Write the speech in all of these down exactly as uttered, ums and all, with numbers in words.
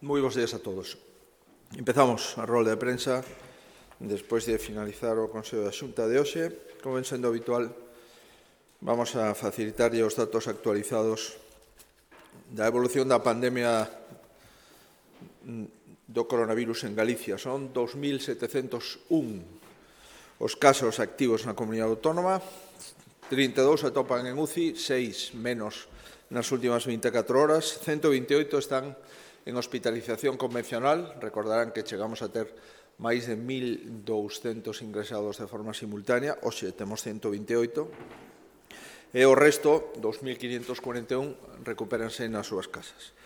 Moi bons días a todos. Empezamos a rolda de prensa despois de finalizar o Consello da Xunta de hoxe. Como ven sendo habitual, vamos a facilitarlle os datos actualizados da evolución da pandemia do coronavirus en Galicia. Son dos mil setecentos un os casos activos na comunidade autónoma, trinta e dous atopan en U C I, seis menos nas últimas vinte e catro horas, ciento vinte e oito están en hospitalización convencional. Recordarán que chegamos a ter máis de mil douscentos ingresados de forma simultánea, hoxe temos ciento vinte e oito, e o resto, dos mil quinhentos cuarenta e un, recupéranse nas súas casas.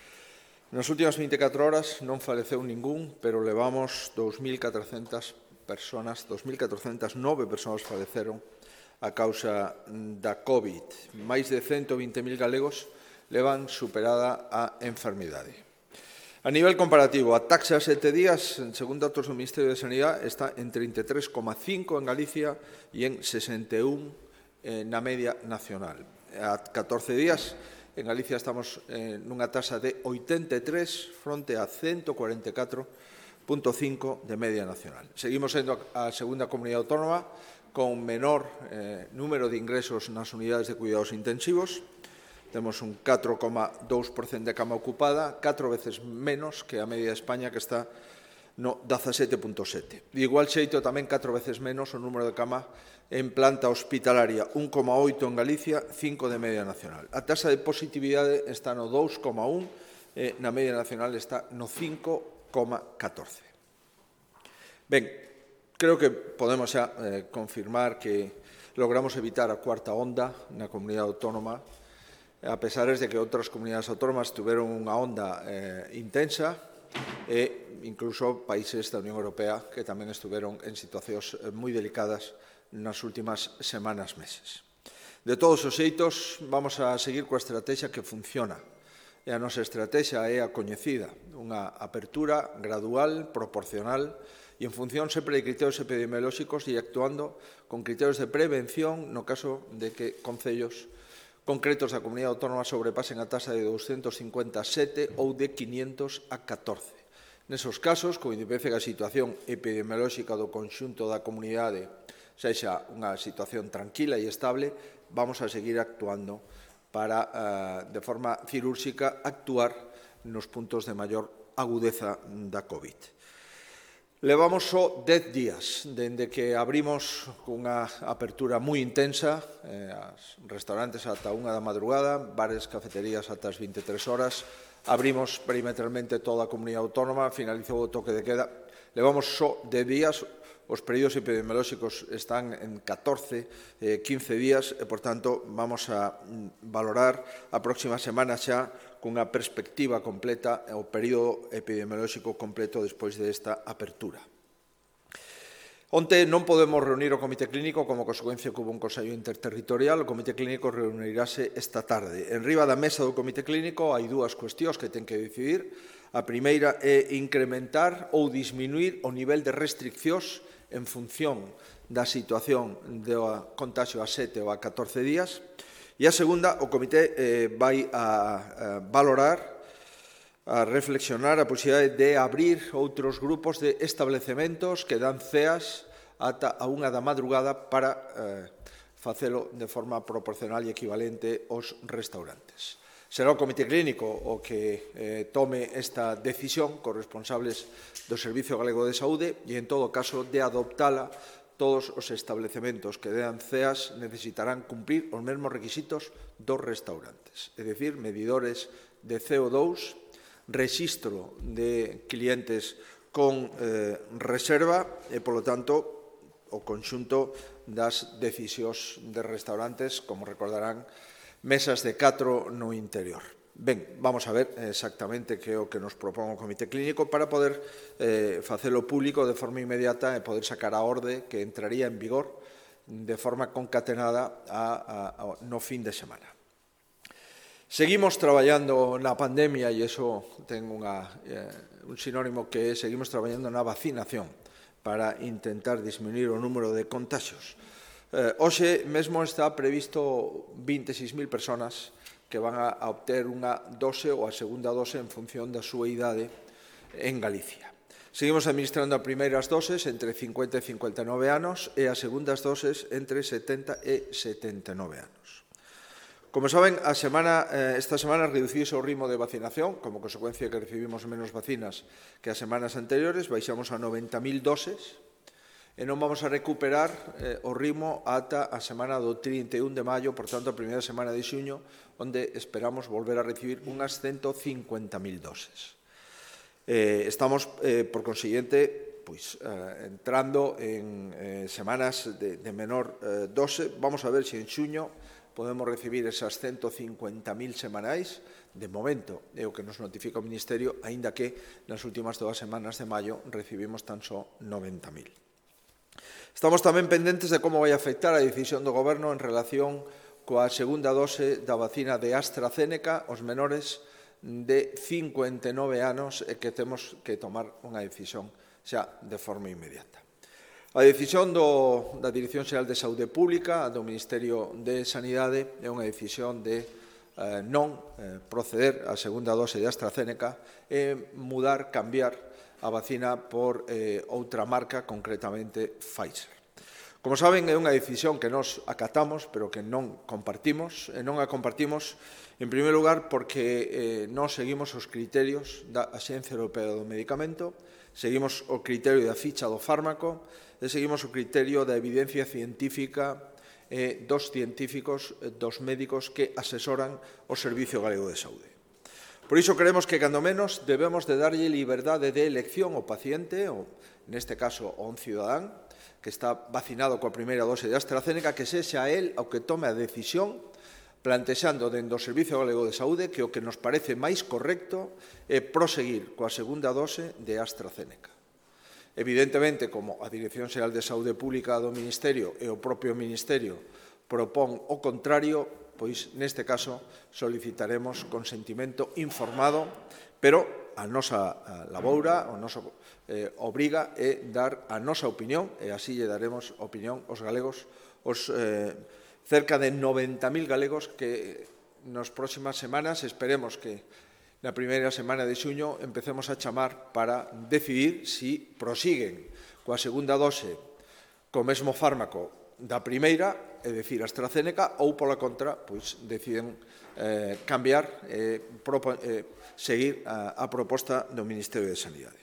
Nas últimas vinte e catro horas non faleceu ningún, pero levamos dos mil catrocentas personas, dos mil catrocentas nove persoas faleceron a causa da COVID. Máis de ciento vinte mil galegos levan superada a enfermidade. A nivel comparativo, a taxa a sete días, según datos do Ministerio de Sanidade, está en trinta e tres coma cinco en Galicia e en sesenta e un na media nacional. A catorce días, en Galicia estamos nunha taxa de oitenta e tres fronte a ciento cuarenta e catro coma cinco de media nacional. Seguimos sendo a segunda comunidade autónoma con menor eh, número de ingresos nas unidades de cuidados intensivos. Temos un catro coma dous por cento de cama ocupada, catro veces menos que a media de España, que está no dezasete coma sete. De igual xeito, tamén catro veces menos o número de cama en planta hospitalaria, un coma oito en Galicia, cinco de media nacional. A taxa de positividade está no dous coma un, e na media nacional está no cinco coma catorce. Ben, creo que podemos xa eh, confirmar que logramos evitar a cuarta onda na comunidade autónoma, a pesar de que outras comunidades autónomas tiveron unha onda eh, intensa e incluso países da Unión Europea que tamén estiveron en situacións moi delicadas nas últimas semanas, meses. De todos os xeitos, vamos a seguir coa estrategia que funciona. E a nosa estrategia é a coñecida, unha apertura gradual, proporcional e en función sempre de criterios epidemiolóxicos e actuando con criterios de prevención no caso de que concellos concretos da comunidade autónoma sobrepasen a taxa de doscientos cincuenta e sete ou de quinientos a catorce. Nesos casos, con independencia que a situación epidemiolóxica do conxunto da comunidade sexa unha situación tranquila e estable, vamos a seguir actuando para, de forma cirúrxica, actuar nos puntos de maior agudeza da COVID. Levamos só dez días dende que abrimos cunha apertura moi intensa, eh, as restaurantes ata unha da madrugada, bares, cafeterías ata as vinte e tres horas, abrimos perimetralmente toda a comunidade autónoma, finalizou o toque de queda. Levamos só dez días, os períodos epidemiolóxicos están en catorce, quince días e, por tanto, vamos a valorar a próxima semana xa cunha perspectiva completa o período epidemiolóxico completo despois desta apertura. Onte non podemos reunir o Comité Clínico como consecuencia que hubo un Consello Interterritorial. O Comité Clínico reunirase esta tarde. En riba da mesa do Comité Clínico hai dúas cuestións que ten que decidir. A primeira é incrementar ou disminuir o nivel de restriccións en función da situación do contagio a sete ou a catorce días. E a segunda, o Comité eh, vai a, a valorar, a reflexionar a posibilidade de abrir outros grupos de establecementos que dan ceas ata a unha da madrugada para eh, facelo de forma proporcional e equivalente aos restaurantes. Será o Comité Clínico o que eh, tome esta decisión cos responsables do Servicio Galego de Saúde e, en todo caso, de adoptala. Todos os establecementos que dean ceas necesitarán cumprir os mesmos requisitos dos restaurantes, é dicir, medidores de C O dous, rexistro de clientes con eh, reserva e, polo tanto, o conxunto das decisións de restaurantes, como recordarán, mesas de catro no interior. Ben, vamos a ver exactamente que é o que nos propón o Comité Clínico para poder eh, facelo público de forma inmediata e poder sacar a orde que entraría en vigor de forma concatenada a, a, a, no fin de semana. Seguimos traballando na pandemia e iso ten unha, eh, un sinónimo que é seguimos traballando na vacinación para intentar disminuir o número de contagios. Eh, hoxe mesmo está previsto vinte e seis mil personas que van a obter unha dose ou a segunda dose en función da súa idade en Galicia. Seguimos administrando as primeiras doses entre cincuenta e cincuenta e nove anos e as segundas doses entre setenta e setenta e nove anos. Como saben, a semana, eh, esta semana reduciuse o ritmo de vacinación, como consecuencia que recibimos menos vacinas que as semanas anteriores, baixamos a noventa mil doses, e non vamos a recuperar eh, o ritmo ata a semana do trinta e un de maio, por tanto, a primeira semana de xuño, onde esperamos volver a recibir unhas ciento cincuenta mil doses. Eh, estamos, eh, por consiguiente, pois, eh, entrando en eh, semanas de, de menor eh, dose. Vamos a ver se en xuño podemos recibir esas ciento cincuenta mil semanais. De momento, é o que nos notifica o Ministerio, aínda que nas últimas dúas semanas de maio recibimos tan só noventa mil. Estamos tamén pendentes de como vai afectar a decisión do Goberno en relación coa segunda dose da vacina de AstraZeneca aos menores de cincuenta e nove anos e que temos que tomar unha decisión xa de forma inmediata. A decisión do, da Dirección Xeral de Saúde Pública, do Ministerio de Sanidade, é unha decisión de eh, non eh, proceder á segunda dose de AstraZeneca e mudar, cambiar a vacina por eh, outra marca, concretamente Pfizer. Como saben, é unha decisión que nos acatamos, pero que non compartimos. E non a compartimos, en primeiro lugar, porque eh, non seguimos os criterios da Axencia Europea do Medicamento, seguimos o criterio da ficha do fármaco e seguimos o criterio da evidencia científica eh, dos científicos, eh, dos médicos que asesoran o Servicio Galego de Saúde. Por iso creemos que, cando menos, debemos de darlle liberdade de elección ao paciente, ou, neste caso, a un cidadán, que está vacinado coa primeira dose de AstraZeneca, que sexa el o que tome a decisión plantexando dentro do Servicio Galego de Saúde que o que nos parece máis correcto é proseguir coa segunda dose de AstraZeneca. Evidentemente, como a Dirección Xeral de Saúde Pública do Ministerio e o propio Ministerio propón o contrario, pois neste caso solicitaremos consentimento informado, pero a nosa laboura, o noso eh, obriga é dar a nosa opinión, e así lle daremos opinión aos galegos, os eh, cerca de noventa mil galegos que nas próximas semanas esperemos que na primeira semana de xuño empecemos a chamar para decidir si prosiguen coa segunda dose co mesmo fármaco da primeira, é dicir, AstraZeneca, ou pola contra, pois deciden eh, cambiar e eh, seguir a, a proposta do Ministerio de Sanidade.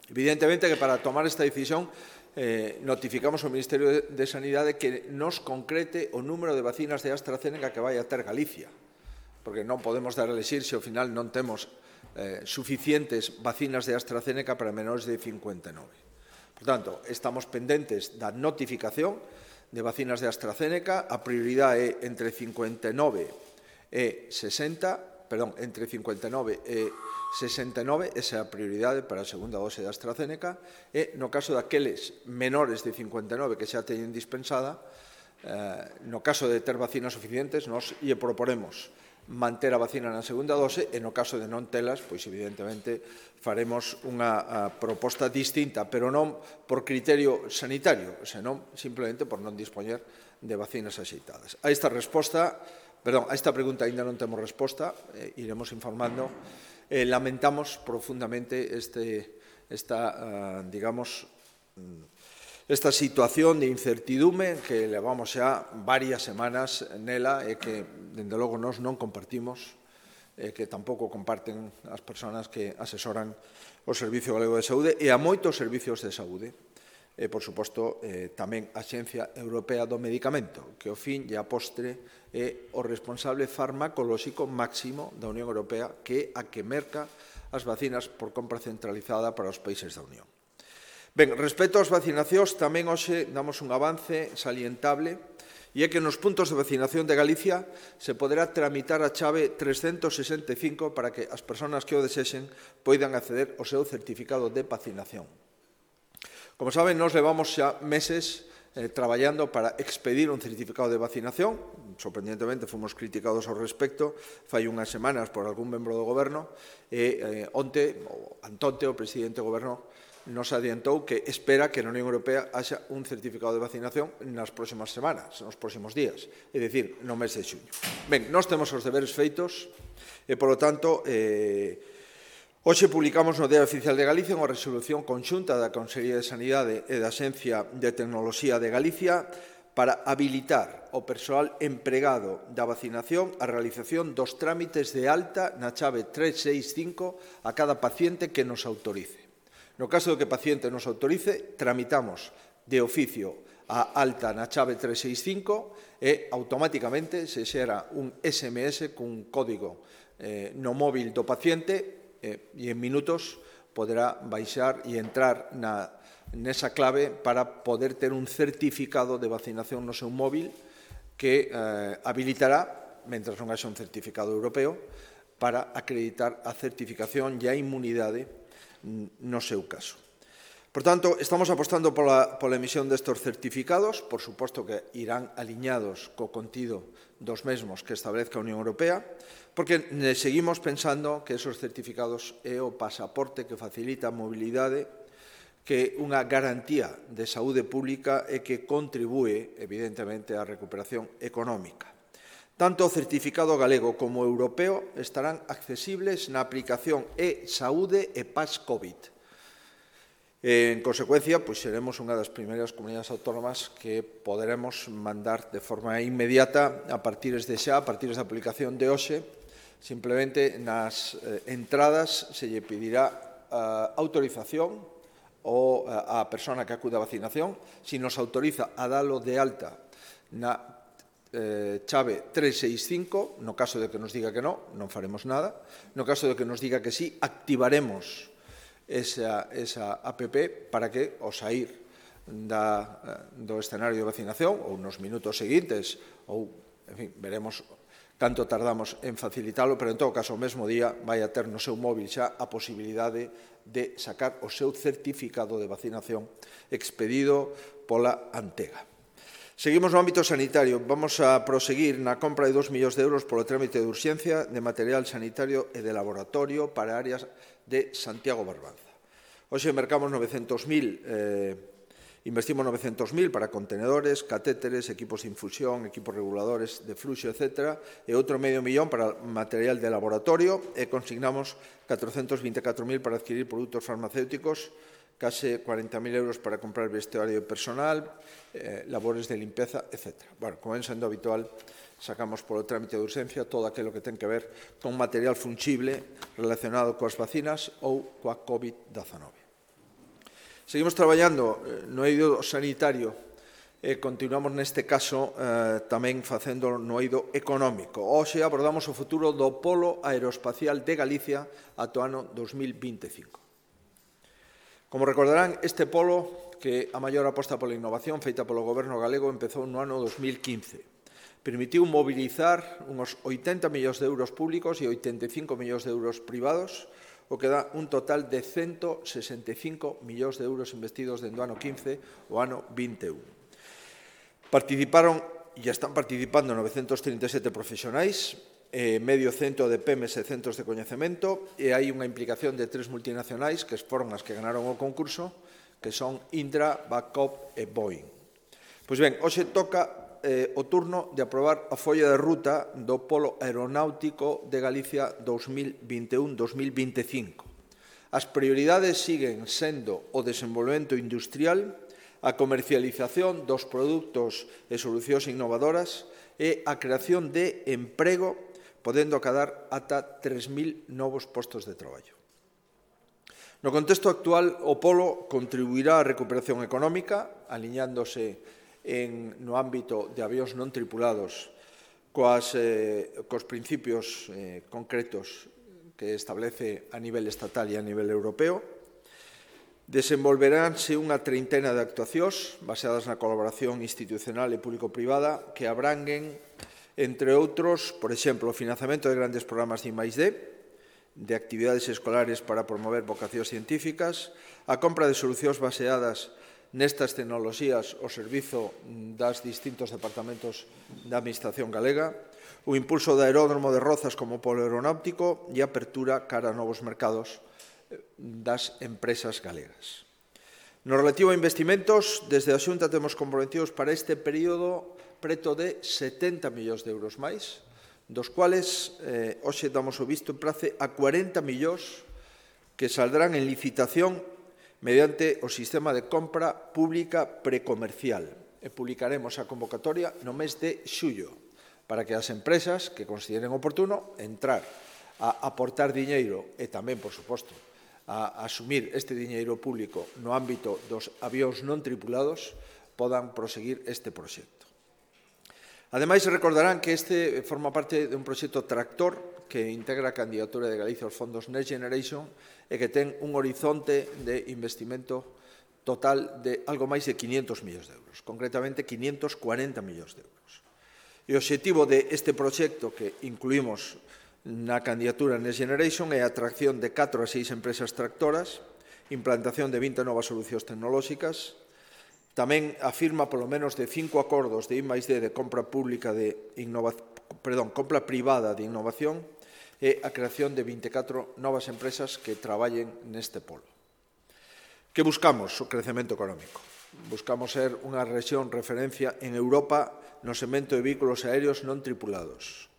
Evidentemente que para tomar esta decisión eh, notificamos ao Ministerio de, de Sanidade que nos concrete o número de vacinas de AstraZeneca que vai a ter Galicia, porque non podemos dar a elexir se ao final non temos eh, suficientes vacinas de AstraZeneca para menores de cincuenta e nove. Por tanto, estamos pendentes da notificación de vacinas de AstraZeneca. A prioridade é entre cincuenta e nove e sesenta, perdón, entre cincuenta e nove e sesenta e nove, esa é a prioridade para a segunda dose de AstraZeneca, e no caso daqueles menores de cincuenta e nove que xa teñen dispensada, eh, no caso de ter vacinas suficientes, nos lle proporemos manter a vacina na segunda dose, e no caso de non telas, pois evidentemente faremos unha proposta distinta, pero non por criterio sanitario, senón simplemente por non dispoñer de vacinas axeitadas. A esta resposta, perdón, a esta pregunta ainda non temos resposta, eh, iremos informando. Eh, lamentamos profundamente este, esta, uh, digamos, esta situación de incertidume que levamos xa varias semanas nela e que, dende logo, nós non compartimos, e que tampouco comparten as persoas que asesoran o Servicio Galego de Saúde e a moitos servicios de saúde. E, por suposto, eh, tamén a Axencia Europea do Medicamento, que ao fin e a postre é o responsable farmacolóxico máximo da Unión Europea, que é a que merca as vacinas por compra centralizada para os países da Unión. Ben, respecto ás vacinacións, tamén hoxe damos un avance salientable, e é que nos puntos de vacinación de Galicia se poderá tramitar a chave trescentos sesenta e cinco para que as persoas que o desexen poidan acceder ao seu certificado de vacinación. Como saben, nos levamos xa meses eh, traballando para expedir un certificado de vacinación. Sorprendentemente, fomos criticados ao respecto fai unhas semanas por algún membro do Goberno, e eh, onte, ou antonte, o presidente do Goberno nos adiantou que espera que na Unión Europea haxa un certificado de vacinación nas próximas semanas, nos próximos días, é dicir, no mes de xuño. Ben, nós temos os deberes feitos e, polo tanto, eh, Hoxe publicamos no Diario Oficial de Galicia unha resolución conxunta da Consellería de Sanidade e da Axencia de Tecnoloxía de Galicia para habilitar o persoal empregado da vacinación a realización dos trámites de alta na chave tres seis cinco a cada paciente que nos autorice. No caso de que o paciente nos autorice, tramitamos de oficio a alta na chave tres seis cinco e automáticamente se xera un S M S cun código eh, no móvil do paciente eh, e en minutos poderá baixar e entrar na, nesa clave para poder ter un certificado de vacinación no seu móvil que eh, habilitará, mentras non haxa un certificado europeo, para acreditar a certificación e a inmunidade no seu caso. Por tanto, estamos apostando pola, pola emisión destes certificados, por suposto que irán aliñados co contido dos mesmos que establezca a Unión Europea, porque seguimos pensando que esos certificados é o pasaporte que facilita a mobilidade, que é unha garantía de saúde pública e que contribúe, evidentemente, á recuperación económica. Tanto o certificado galego como o europeo estarán accesibles na aplicación e-Saúde e Pas COVID. En consecuencia, pois seremos unha das primeiras comunidades autónomas que poderemos mandar de forma inmediata a partir de xa, a partir da aplicación de hoxe, simplemente nas eh, entradas se lle pedirá uh, autorización ou uh, a persona que acuda a vacinación, si nos autoriza a dalo de alta na eh, chave tres seis cinco, no caso de que nos diga que non, non faremos nada, no caso de que nos diga que sí, activaremos esa, esa app para que, ao sair da, do escenario de vacinación, ou nos minutos seguintes, ou, en fin, veremos canto tardamos en facilitalo, pero en todo caso, o mesmo día vai a ter no seu móvil xa a posibilidade de sacar o seu certificado de vacinación expedido pola Antega. Seguimos no ámbito sanitario. Vamos a proseguir na compra de dos millóns de euros polo trámite de urxencia de material sanitario e de laboratorio para áreas de Santiago Barbanza. Hoxe mercamos novecentos mil, eh, investimos novecentos mil para contenedores, catéteres, equipos de infusión, equipos reguladores de fluxo, etcétera, e outro medio millón para material de laboratorio e consignamos catrocentos vinte e catro mil para adquirir produtos farmacéuticos, case cuarenta mil euros para comprar vestuario personal, eh, labores de limpeza, etcétera. Bueno, como ven sendo habitual, sacamos polo trámite de urxencia todo aquilo que ten que ver con material fungible relacionado coas vacinas ou coa COVID dezenove. Seguimos traballando no eido sanitario e continuamos neste caso eh, tamén facendo no eido económico. Hoxe abordamos o futuro do Polo Aeroespacial de Galicia ata o ano dos mil vinte e cinco. Como recordarán, este polo, que a maior aposta pola innovación feita polo Goberno galego, empezou no ano dos mil quince. Permitiu mobilizar uns oitenta millóns de euros públicos e oitenta e cinco millóns de euros privados, o que dá un total de ciento sesenta e cinco millóns de euros investidos dende o ano quince ao ano vinte e un. Participaron e están participando novecentos trinta e sete profesionais, eh, medio cento de P E M S e centros de coñecemento, e hai unha implicación de tres multinacionais que foron as que ganaron o concurso, que son Indra, Babcock e Boeing. Pois ben, hoxe toca eh, o turno de aprobar a folla de ruta do Polo Aeronáutico de Galicia dos mil vinte e un dos mil vinte e cinco. As prioridades siguen sendo o desenvolvemento industrial, a comercialización dos produtos e solucións innovadoras e a creación de emprego, podendo acadar ata tres mil novos postos de traballo. No contexto actual, o Polo contribuirá á recuperación económica, aliñándose en, no ámbito de avións non tripulados coas, eh, cos principios eh, concretos que establece a nivel estatal e a nivel europeo. Desenvolveránse unha treintena de actuacións baseadas na colaboración institucional e público-privada que abranguen, entre outros, por exemplo, o financiamento de grandes programas de I máis D, de actividades escolares para promover vocacións científicas, a compra de solucións baseadas nestas tecnoloxías ao servizo das distintos departamentos da Administración galega, o impulso do aeródromo de Rozas como polo aeronáutico e a apertura cara a novos mercados das empresas galegas. No relativo a investimentos, desde a Xunta temos comprometidos para este período preto de setenta millóns de euros máis, dos cuales eh, hoxe damos o visto en prace a cuarenta millóns que saldrán en licitación mediante o sistema de compra pública precomercial. E publicaremos a convocatoria no mes de xullo para que as empresas que consideren oportuno entrar a aportar diñeiro e tamén, por suposto, a asumir este diñeiro público no ámbito dos avións non tripulados podan proseguir este proxecto. Ademais, recordarán que este forma parte de un proxecto tractor que integra a candidatura de Galicia aos fondos Next Generation e que ten un horizonte de investimento total de algo máis de quinientos millóns de euros, concretamente quinientos cuarenta millóns de euros. E o obxectivo deste proxecto que incluímos na candidatura Next Generation é a atracción de catro a seis empresas tractoras, implantación de vinte novas solucións tecnolóxicas, tamén afirma polo menos de cinco acordos de I máis D de compra pública de innovación, perdón, compra privada de innovación e a creación de vinte e catro novas empresas que traballen neste polo. Que buscamos? O crecemento económico. Buscamos ser unha rexión referencia en Europa no segmento de vehículos aéreos non tripulados.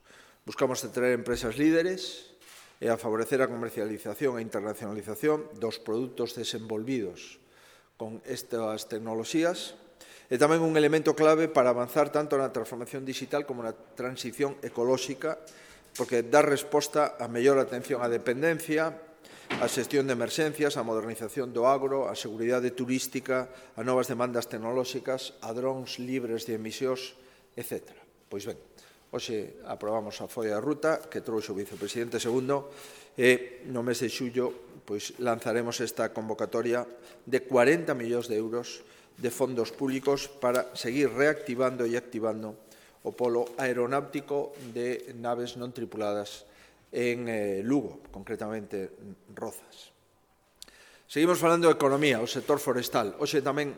Buscamos atraer empresas líderes e a favorecer a comercialización e internacionalización dos produtos desenvolvidos con estas tecnoloxías e tamén un elemento clave para avanzar tanto na transformación digital como na transición ecolóxica, porque dá resposta a mellor atención á dependencia, a xestión de emerxencias, a modernización do agro, a seguridade turística, a novas demandas tecnolóxicas, a drons libres de emisións, etcétera. Pois ben, hoxe aprobamos a folla de ruta que trouxe o vicepresidente segundo e no mes de xullo pois, lanzaremos esta convocatoria de cuarenta millóns de euros de fondos públicos para seguir reactivando e activando o polo aeronáutico de naves non tripuladas en eh, Lugo, concretamente Rozas. Seguimos falando de economía, o sector forestal. Hoxe tamén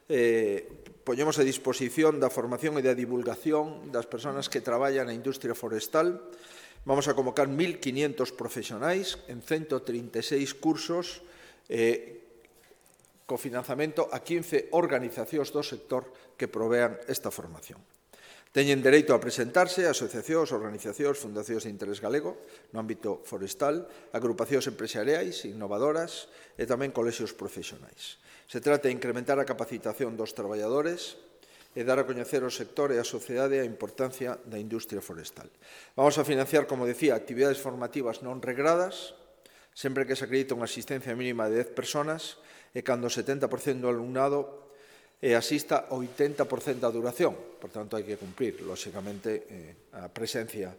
eh, poñemos a disposición da formación e da divulgación das persoas que traballan na industria forestal. Vamos a convocar mil quinientos profesionais en ciento trinta e seis cursos eh, co financiamento a quince organizacións do sector que provean esta formación. Teñen dereito a presentarse asociacións, organizacións, fundacións de interés galego no ámbito forestal, agrupacións empresariais, innovadoras e tamén colexios profesionais. Se trata de incrementar a capacitación dos traballadores e dar a coñecer ao sector e á sociedade a importancia da industria forestal. Vamos a financiar, como decía, actividades formativas non regradas, sempre que se acredita unha asistencia mínima de dez persoas e cando o setenta por cento do alumnado e asista o oitenta por cento da duración. Por tanto, hai que cumprir, lóxicamente, eh, a presencia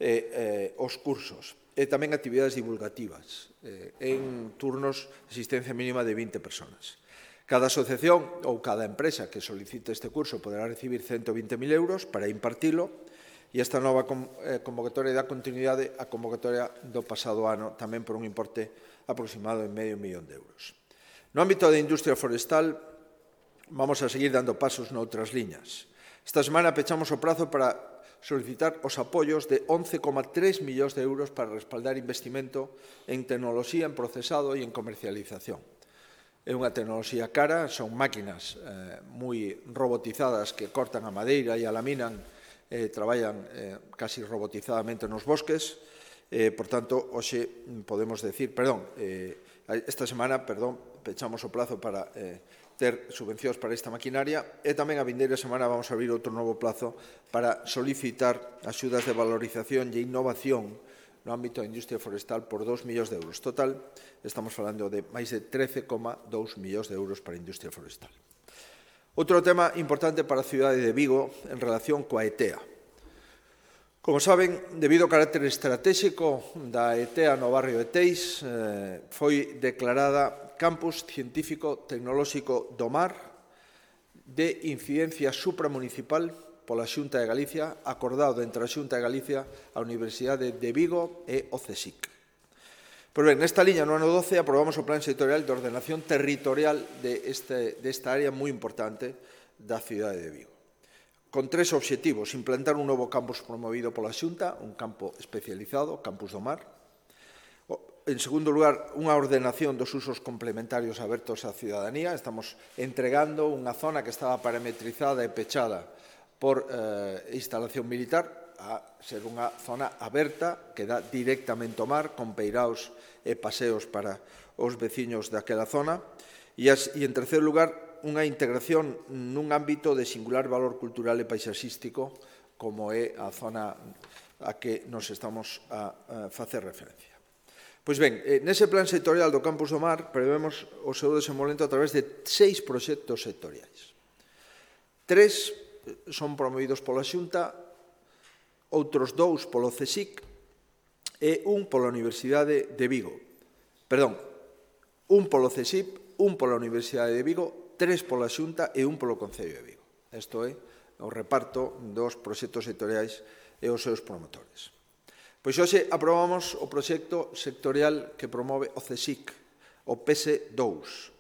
e eh, os cursos. E tamén actividades divulgativas eh, en turnos de asistencia mínima de vinte persoas. Cada asociación ou cada empresa que solicite este curso poderá recibir ciento vinte mil euros para impartilo e esta nova convocatoria dá continuidade á convocatoria do pasado ano tamén por un importe aproximado de medio millón de euros. No ámbito da industria forestal, vamos a seguir dando pasos noutras liñas. Esta semana pechamos o prazo para solicitar os apoios de once coma tres millóns de euros para respaldar investimento en tecnoloxía, en procesado e en comercialización. É unha tecnoloxía cara, son máquinas eh, moi robotizadas que cortan a madeira e a laminan, eh, traballan eh, casi robotizadamente nos bosques, eh, por tanto, hoxe podemos decir, perdón, eh, esta semana, perdón, pechamos o plazo para eh, ter subvencións para esta maquinaria e tamén a vindeira semana vamos a abrir outro novo plazo para solicitar axudas de valorización e innovación no ámbito da industria forestal por dos millóns de euros. Total, estamos falando de máis de trece coma dous millóns de euros para a industria forestal. Outro tema importante para a cidade de Vigo en relación coa E T E A. Como saben, debido ao carácter estratégico da E T E A no barrio de Teis, eh, foi declarada Campus Científico Tecnolóxico do Mar de incidencia supramunicipal pola Xunta de Galicia, acordado entre a Xunta de Galicia, a Universidade de Vigo e o CSIC. Pois ben, nesta liña, no ano doce, aprobamos o Plan Sectorial de Ordenación Territorial de este, desta área moi importante da cidade de Vigo. Con tres obxectivos: implantar un novo campus promovido pola Xunta, un campo especializado, Campus do Mar. En segundo lugar, unha ordenación dos usos complementarios abertos á cidadanía. Estamos entregando unha zona que estaba parametrizada e pechada por eh, instalación militar a ser unha zona aberta que dá directamente ao mar, con peiraos e paseos para os veciños daquela zona. E, as, e en terceiro lugar, unha integración nun ámbito de singular valor cultural e paisaxístico como é a zona a que nos estamos a, a facer referencia. Pois ben, nese plan sectorial do Campus do Mar prevemos o seu desenvolvemento a través de seis proxectos sectoriais. Tres son promovidos pola Xunta, outros dous polo CSIC e un pola Universidade de Vigo. Perdón, un polo CSIC, un pola Universidade de Vigo, tres pola Xunta e un polo Concello de Vigo. Isto é o reparto dos proxectos sectoriais e os seus promotores. Pois hoxe aprobamos o proxecto sectorial que promove o CSIC, o P S dous.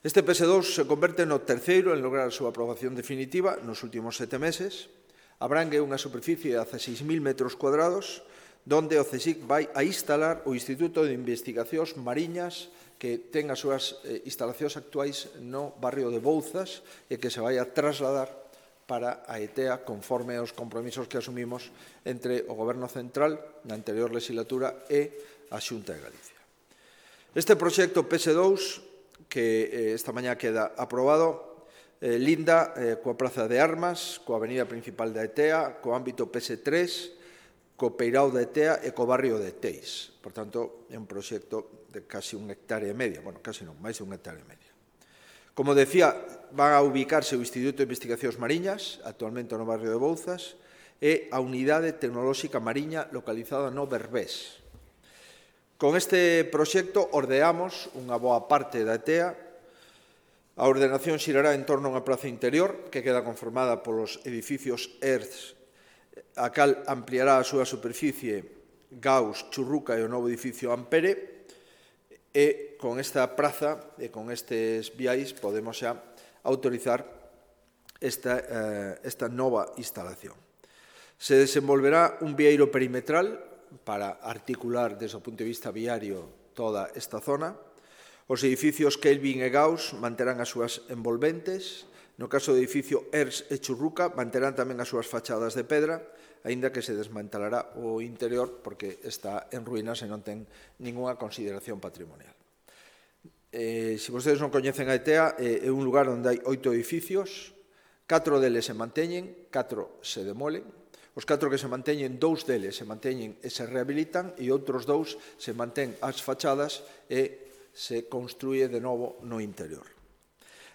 Este P S dous se converte no terceiro en lograr a súa aprobación definitiva nos últimos sete meses. Abrangue unha superficie de dezasseis mil metros cuadrados, donde o CSIC vai a instalar o Instituto de Investigacións Mariñas que ten as súas instalacións actuais no barrio de Bouzas e que se vai a trasladar para a E T E A conforme aos compromisos que asumimos entre o Goberno Central na anterior legislatura e a Xunta de Galicia. Este proxecto P S dous, que esta mañá queda aprobado, eh, linda eh, coa Praza de Armas, coa avenida principal da E T E A, co ámbito P S tres, co Peirao da E T E A e co barrio de Teis. Por tanto, é un proxecto de casi un hectárea e media, bueno, casi non, máis de un hectárea e media. Como decía, van a ubicarse o Instituto de Investigacións Mariñas, actualmente no barrio de Bouzas, e a Unidade Tecnolóxica Mariña localizada no Berbés. Con este proxecto ordeamos unha boa parte da E T E A. A ordenación xirará en torno a unha praza interior que queda conformada polos edificios E R S, a cal ampliará a súa superficie Gauss, Churruca e o novo edificio Ampere. E con esta praza e con estes viais podemos xa autorizar esta, eh, esta nova instalación. Se desenvolverá un vieiro perimetral para articular desde o punto de vista viario toda esta zona. Os edificios Kelvin e Gauss manterán as súas envolventes. No caso do edificio E R S e Churruca manterán tamén as súas fachadas de pedra, aínda que se desmantelará o interior porque está en ruínas e non ten ningunha consideración patrimonial. Eh, se vostedes non coñecen a E T E A, eh, é un lugar onde hai oito edificios, catro deles se manteñen, catro se demolen. Os catro que se manteñen, dous deles se manteñen e se rehabilitan e outros dous se mantén as fachadas e se construye de novo no interior.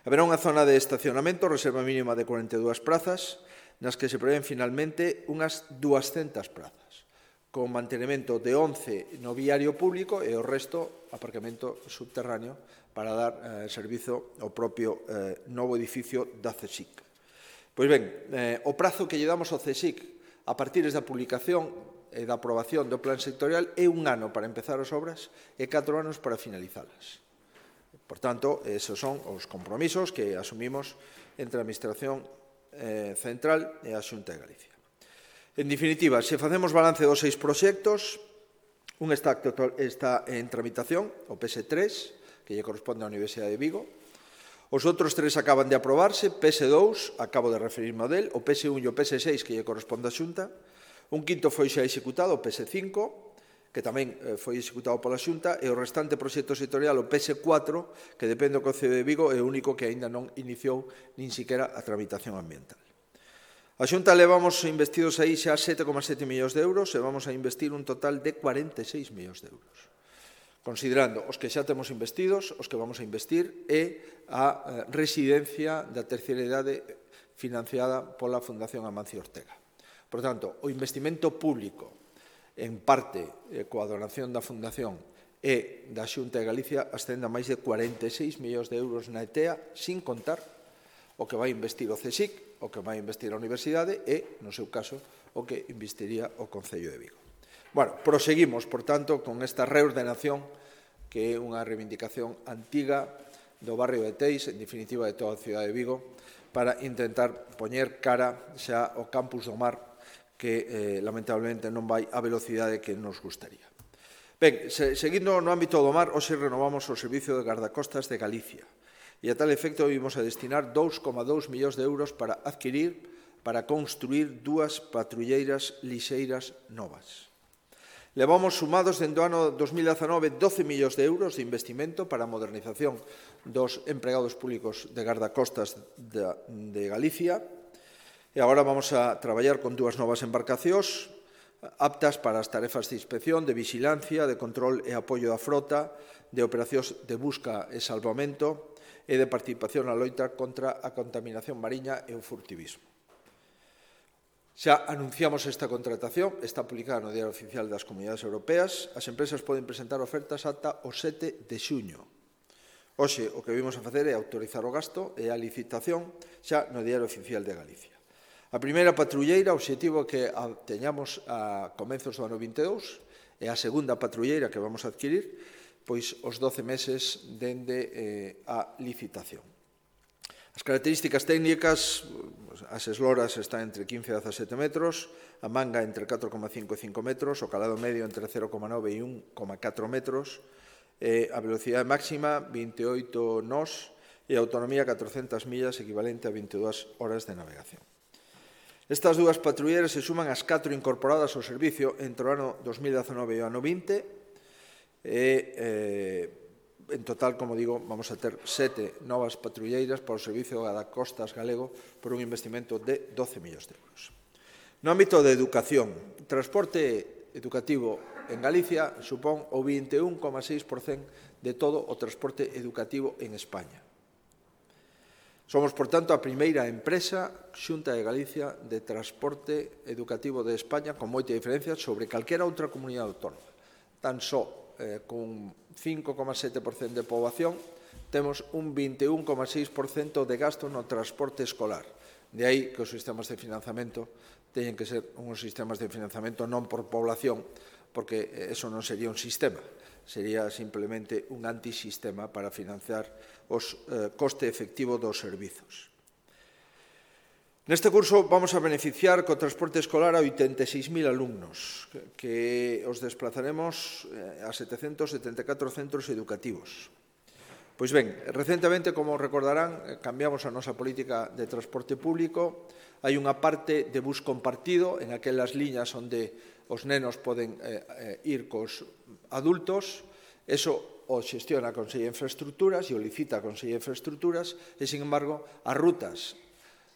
Haberá unha zona de estacionamento, reserva mínima de cuarenta e dúas prazas, nas que se prevén finalmente unhas duascentas prazas, con mantenimento de once no viario público e o resto aparcamento subterráneo para dar eh, servizo ao propio eh, novo edificio da CSIC. Pois ben, eh, o prazo que lle damos ao CSIC a partir da publicación e da aprobación do plan sectorial é un ano para empezar as obras e catro anos para finalizalas. Por tanto, esos son os compromisos que asumimos entre a Administración eh, Central e a Xunta de Galicia. En definitiva, se facemos balance dos seis proxectos, un está, está en tramitación, o P S tres, que lle corresponde á Universidade de Vigo. Os outros tres acaban de aprobarse, P S dous, acabo de referirme a del, o P S un e o P S seis, que lle corresponde á Xunta. Un quinto foi xa executado, o P S cinco, que tamén foi executado pola Xunta, e o restante proxecto sectorial, o P S cuatro, que depende do Concello de Vigo, é o único que aínda non iniciou nin siquiera a tramitación ambiental. A Xunta levamos investidos aí xa sete coma sete millóns de euros e vamos a investir un total de cuarenta e seis millóns de euros. Considerando os que xa temos investidos, os que vamos a investir e a residencia da terceira idade financiada pola Fundación Amancio Ortega. Por tanto, o investimento público en parte eh, coa donación da Fundación e da Xunta de Galicia ascende a máis de cuarenta e seis millóns de euros na E T E A, sin contar o que vai investir o CSIC, o que vai investir a Universidade e, no seu caso, o que investiría o Concello de Vigo. Bueno, proseguimos, por tanto, con esta reordenación que é unha reivindicación antiga do barrio de Teis, en definitiva de toda a cidade de Vigo, para intentar poñer cara xa ao Campus do Mar que eh, lamentablemente non vai a velocidade que nos gustaría. Ben, se, seguindo no ámbito do mar, hoxe renovamos o Servicio de Gardacostas de Galicia e a tal efecto vimos a destinar dous coma dous millóns de euros para adquirir para construir dúas patrulleiras lixeiras novas. Levamos sumados dende o ano dos mil dezanove doce millóns de euros de investimento para a modernización dos empregados públicos de gardacostas de Galicia e agora vamos a traballar con dúas novas embarcacións aptas para as tarefas de inspección, de vigilancia, de control e apoio da frota, de operacións de busca e salvamento e de participación na loita contra a contaminación mariña e o furtivismo. Xa anunciamos esta contratación, está publicada no Diario Oficial das Comunidades Europeas. As empresas poden presentar ofertas ata o sete de xuño. Hoxe, o que vimos a facer é autorizar o gasto e a licitación xa no Diario Oficial de Galicia. A primeira patrulleira, o obxectivo é que a teñamos a comenzos do ano vinte e dous, e a segunda patrulleira que vamos a adquirir, pois os doce meses dende eh, a licitación. As características técnicas, as esloras están entre quince e dezasete metros, a manga entre catro coma cinco e cinco metros, o calado medio entre cero coma nove e un coma catro metros, eh, a velocidade máxima vinte e oito nós e a autonomía catrocentas millas equivalente a vinte e dúas horas de navegación. Estas dúas patrulleiras se suman ás catro incorporadas ao servicio entre o ano dos mil dezanove e o ano vinte e, eh, en total, como digo, vamos a ter sete novas patrulleiras para o servicio de gardacostas galego por un investimento de doce millóns de euros. No ámbito de educación, o transporte educativo en Galicia supón o vinte e un coma seis por cento de todo o transporte educativo en España. Somos, por tanto, a primeira empresa, Xunta de Galicia, de transporte educativo de España, con moita diferencia sobre calquera outra comunidade autónoma. Tan só eh, con cinco coma sete por cento de poboación, temos un vinte e un coma seis por cento de gasto no transporte escolar. De aí que os sistemas de financiamento teñen que ser uns sistemas de financiamento non por población, porque eso non sería un sistema, sería simplemente un antisistema para financiar os eh, coste efectivo dos servizos. Neste curso vamos a beneficiar co transporte escolar a oitenta e seis mil alumnos, que os desplazaremos a setecentos setenta e catro centros educativos. Pois ben, recentemente, como recordarán, cambiamos a nosa política de transporte público. Hai unha parte de bus compartido en aquelas liñas onde os nenos poden eh, ir cos adultos. Eso o xestiona a Consellería de Infraestructuras e o licita a Consellería de Infraestructuras e, sin embargo, as rutas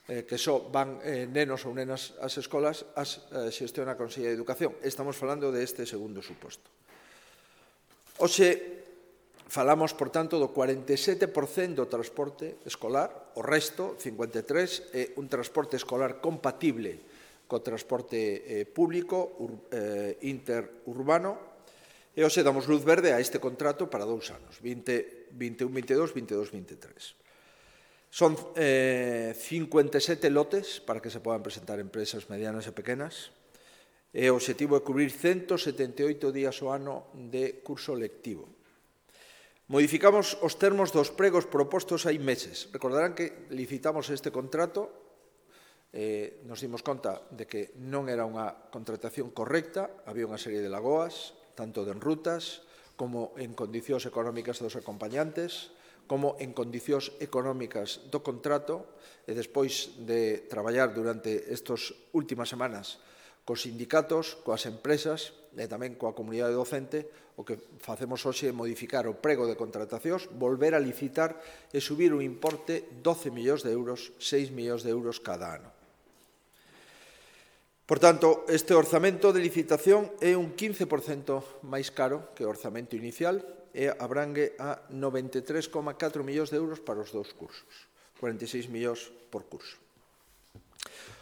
eh, que só van eh, nenos ou nenas ás escolas as eh, xestiona a Consellería de Educación. Estamos falando deste segundo suposto. Hoxe falamos, por tanto, do cuarenta e sete por cento do transporte escolar, o resto, cincuenta e tres por cento, é un transporte escolar compatible co transporte eh, público ur, eh, interurbano. E hoxe damos luz verde a este contrato para dous anos, vinte, vinte e un, vinte e dous, vinte e dous, vinte e tres. Son eh, cincuenta e sete lotes para que se podan presentar empresas medianas e pequenas. E o objetivo é cubrir ciento setenta e oito días ao ano de curso lectivo. Modificamos os termos dos pregos propostos hai meses. Recordarán que licitamos este contrato, eh, nos dimos conta de que non era unha contratación correcta, había unha serie de lagoas, tanto en rutas como en condicións económicas dos acompañantes, como en condicións económicas do contrato, e despois de traballar durante estas últimas semanas cos sindicatos, coas empresas e tamén coa comunidade docente, o que facemos hoxe é modificar o prego de contratacións, volver a licitar e subir o importe doce millóns de euros, seis millóns de euros cada ano. Por tanto, este orzamento de licitación é un quince por cento máis caro que o orzamento inicial e abrangue a noventa e tres coma catro millóns de euros para os dous cursos, cuarenta e seis millóns por curso.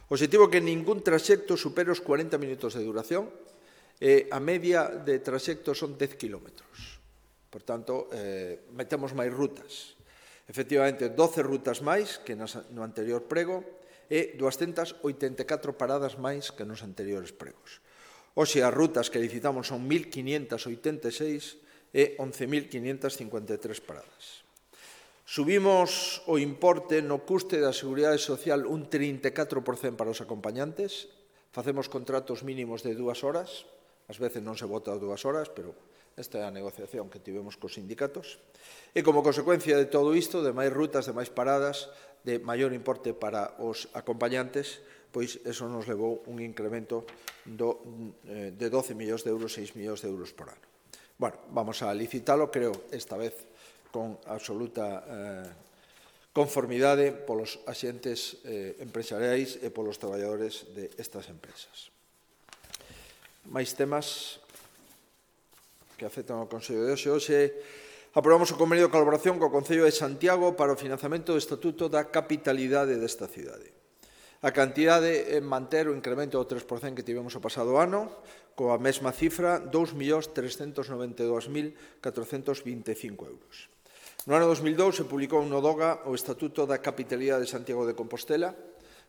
O objetivo é que ningún traxecto supere os cuarenta minutos de duración e a media de traxecto son dez kilómetros. Por tanto, eh, metemos máis rutas. Efectivamente, doce rutas máis que no anterior prego, e duascentas oitenta e catro paradas máis que nos anteriores pregos. Hoxe as rutas que licitamos son mil quinientas oitenta e seis e once mil quinientas cincuenta e tres paradas. Subimos o importe no custe da Seguridade Social un trinta e catro por cento para os acompañantes, facemos contratos mínimos de dúas horas, ás veces non se vota dúas horas, pero esta é a negociación que tivemos cos sindicatos, e como consecuencia de todo isto, de máis rutas, de máis paradas, de maior importe para os acompañantes, pois eso nos levou un incremento do, eh, de doce millóns de euros, seis millóns de euros por ano. Bueno, vamos a licitalo, creo, esta vez con absoluta eh, conformidade polos axentes eh, empresariais e polos traballadores destas empresas. Máis temas que afectan ao Consello de hoxe. Hoxe aprobamos o convenio de colaboración co Concello de Santiago para o financiamento do Estatuto da Capitalidade desta cidade. A cantidade é manter o incremento do tres por cento que tivemos o pasado ano, coa mesma cifra, dous millóns trescentos noventa e dous mil catrocentos vinte e cinco euros. No ano dos mil dous se publicou no DOGA o Estatuto da Capitalidade de Santiago de Compostela,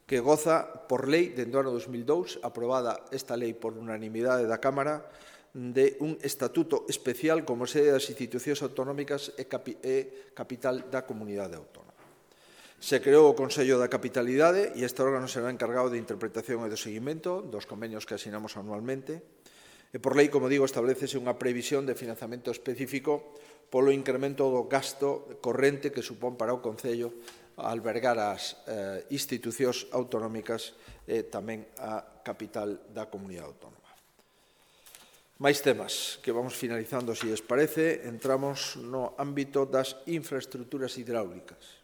que goza por lei, dende o ano dos mil dous, aprobada esta lei por unanimidade da Cámara, de un estatuto especial como sede das institucións autonómicas e, capi e capital da comunidade autónoma. Se creou o Consello da Capitalidade e este órgano será encargado de interpretación e do seguimento dos convenios que asinamos anualmente e por lei, como digo, establecese unha previsión de financiamento específico polo incremento do gasto corrente que supón para o Concello albergar as eh, institucións autonómicas e tamén a capital da comunidade autónoma. Máis temas que vamos finalizando, se lles parece. Entramos no ámbito das infraestructuras hidráulicas.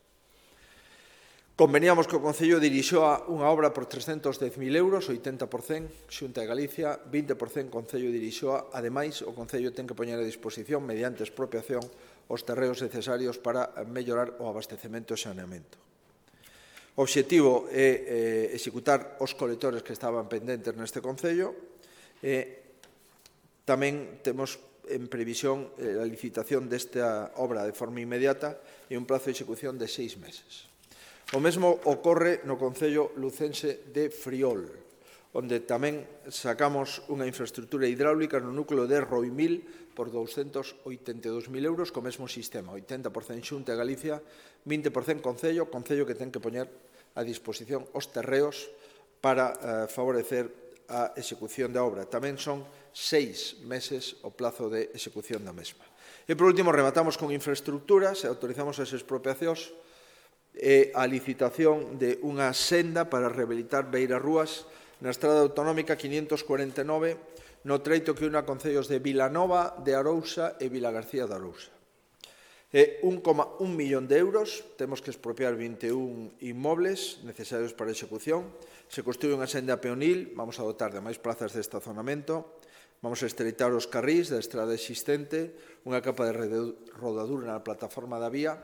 Conveniamos que o Concello dirixoa unha obra por trescentos dez mil euros, oitenta por cento, Xunta de Galicia, vinte por cento Concello dirixoa. Ademais, o Concello ten que poñer a disposición, mediante expropiación, os terreos necesarios para mellorar o abastecemento e saneamento. O obxectivo é eh, executar os colectores que estaban pendentes neste Concello e tamén temos en previsión a licitación desta obra de forma inmediata e un prazo de execución de seis meses. O mesmo ocorre no Concello lucense de Friol, onde tamén sacamos unha infraestructura hidráulica no núcleo de Roimil por douscentos oitenta e dous mil euros co mesmo sistema, oitenta por cento Xunta de Galicia, vinte por cento Concello, Concello que ten que poñer a disposición os terreos para eh, favorecer a execución da obra. Tamén son seis meses o plazo de execución da mesma. E, por último, rematamos con infraestructuras e autorizamos as expropiacións e a licitación de unha senda para rehabilitar beirarrúas na estrada autonómica quinhentos cuarenta e nove no treito que une a concellos de Vilanova de Arousa e Vilagarcía de Arousa. E un coma un millón de euros, temos que expropiar vinte e un inmobles necesarios para a execución. Se construye unha senda peonil, vamos a dotar de máis plazas de estacionamento, vamos a estreitar os carrís da estrada existente, unha capa de rodadura na plataforma da vía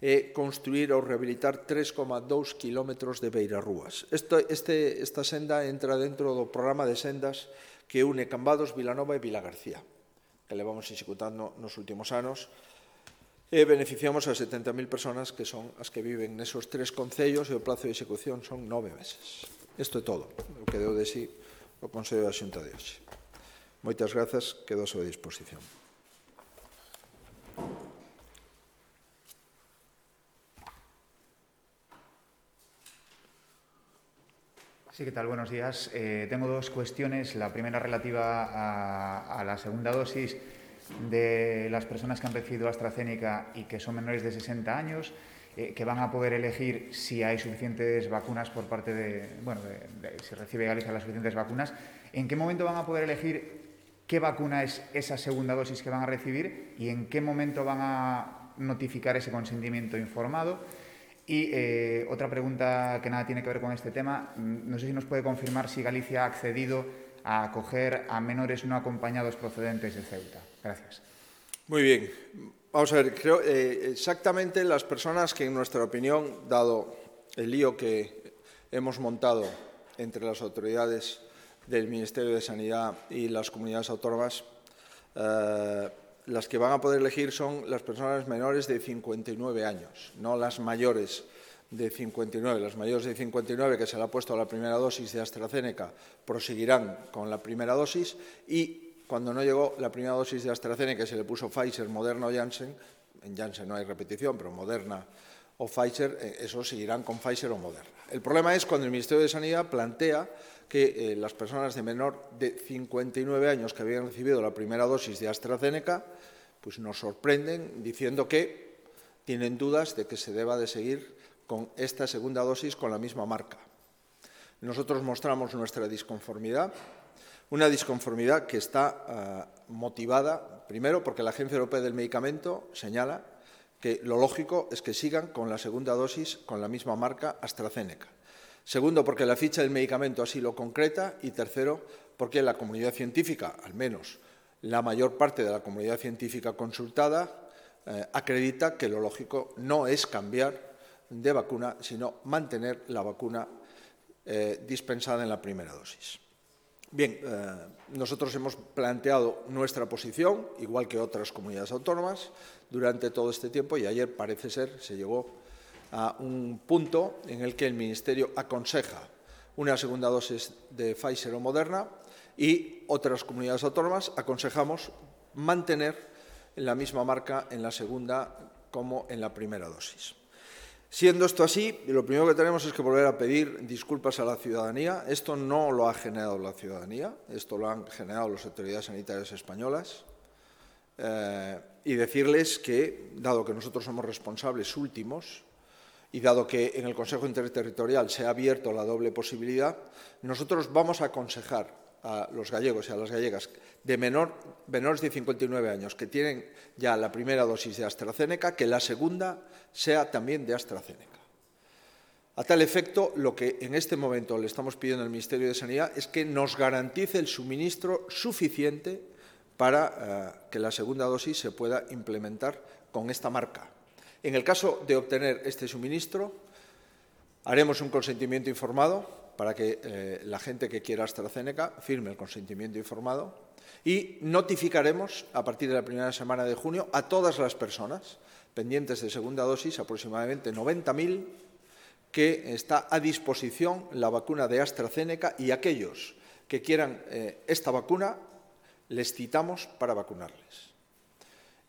e construir ou rehabilitar tres coma dous kilómetros de beirarrúas. Este, este, esta senda entra dentro do programa de sendas que une Cambados, Vilanova e Vilagarcía, que levamos executando nos últimos anos, e beneficiamos a setenta mil persoas que son as que viven nesos tres concellos e o plazo de execución son nove meses. Isto é todo o que deu de si o Consello da Xunta de hoxe. Moitas grazas, quedo a súa disposición. Sí, ¿qué tal? Buenos días. Eh, tengo dos cuestiones. La primera relativa a, a la segunda dosis de las personas que han recibido AstraZeneca y que son menores de sesenta años, eh, que van a poder elegir si hay suficientes vacunas por parte de, bueno, de, de, si recibe Galicia las suficientes vacunas. ¿En qué momento van a poder elegir qué vacuna es esa segunda dosis que van a recibir y en qué momento van a notificar ese consentimiento informado? Y eh, otra pregunta que nada tiene que ver con este tema, no sé si nos puede confirmar si Galicia ha accedido a acoger a menores no acompañados procedentes de Ceuta. Gracias. Muy bien. Vamos a ver, creo eh, exactamente las personas que en nuestra opinión, dado el lío que hemos montado entre las autoridades del Ministerio de Sanidad y las comunidades autónomas, eh, las que van a poder elegir son las personas menores de cincuenta y nueve años, no las mayores de cincuenta y nueve. Las mayores de cincuenta y nueve que se le ha puesto la primera dosis de AstraZeneca proseguirán con la primera dosis y cuando no llegó la primera dosis de AstraZeneca, se le puso Pfizer, Moderna o Janssen, en Janssen no hay repetición, pero Moderna o Pfizer, esos seguirán con Pfizer o Moderna. El problema es cuando el Ministerio de Sanidad plantea que eh, las personas de menor de cincuenta y nueve años que habían recibido la primera dosis de AstraZeneca, pues nos sorprenden diciendo que tienen dudas de que se deba de seguir con esta segunda dosis con la misma marca. nosotros mostramos nuestra disconformidad, una disconformidad que está uh, motivada, primero, porque la Agencia Europea del Medicamento señala que lo lógico es que sigan con la segunda dosis con la misma marca AstraZeneca. Segundo, porque la ficha del medicamento así lo concreta. Y tercero, porque la comunidad científica, al menos la mayor parte de la comunidad científica consultada, eh, acredita que lo lógico no es cambiar de vacuna, sino mantener la vacuna eh, dispensada en la primera dosis. Bien, eh, nosotros hemos planteado nuestra posición, igual que otras comunidades autónomas, durante todo este tiempo, y ayer parece ser se llegó a un punto en el que el Ministerio aconseja una segunda dosis de Pfizer o Moderna y otras comunidades autónomas aconsejamos mantener la misma marca en la segunda como en la primera dosis. Siendo esto así, lo primero que tenemos es que volver a pedir disculpas a la ciudadanía. Esto no lo ha generado la ciudadanía, esto lo han generado las autoridades sanitarias españolas. Eh, y decirles que, dado que nosotros somos responsables últimos y dado que en el Consejo Interterritorial se ha abierto la doble posibilidad, nosotros vamos a aconsejar a los gallegos y a las gallegas de menor, menores de cincuenta y nueve años que tienen ya la primera dosis de AstraZeneca, que la segunda sea también de AstraZeneca. A tal efecto, lo que en este momento le estamos pidiendo al Ministerio de Sanidad es que nos garantice el suministro suficiente para uh, que la segunda dosis se pueda implementar con esta marca. En el caso de obtener este suministro, haremos un consentimiento informado para que eh, la gente que quiera AstraZeneca firme el consentimiento informado y notificaremos a partir de la primera semana de junio a todas las personas pendientes de segunda dosis, aproximadamente noventa mil, que está a disposición la vacuna de AstraZeneca, y aquellos que quieran eh, esta vacuna les citamos para vacunarles.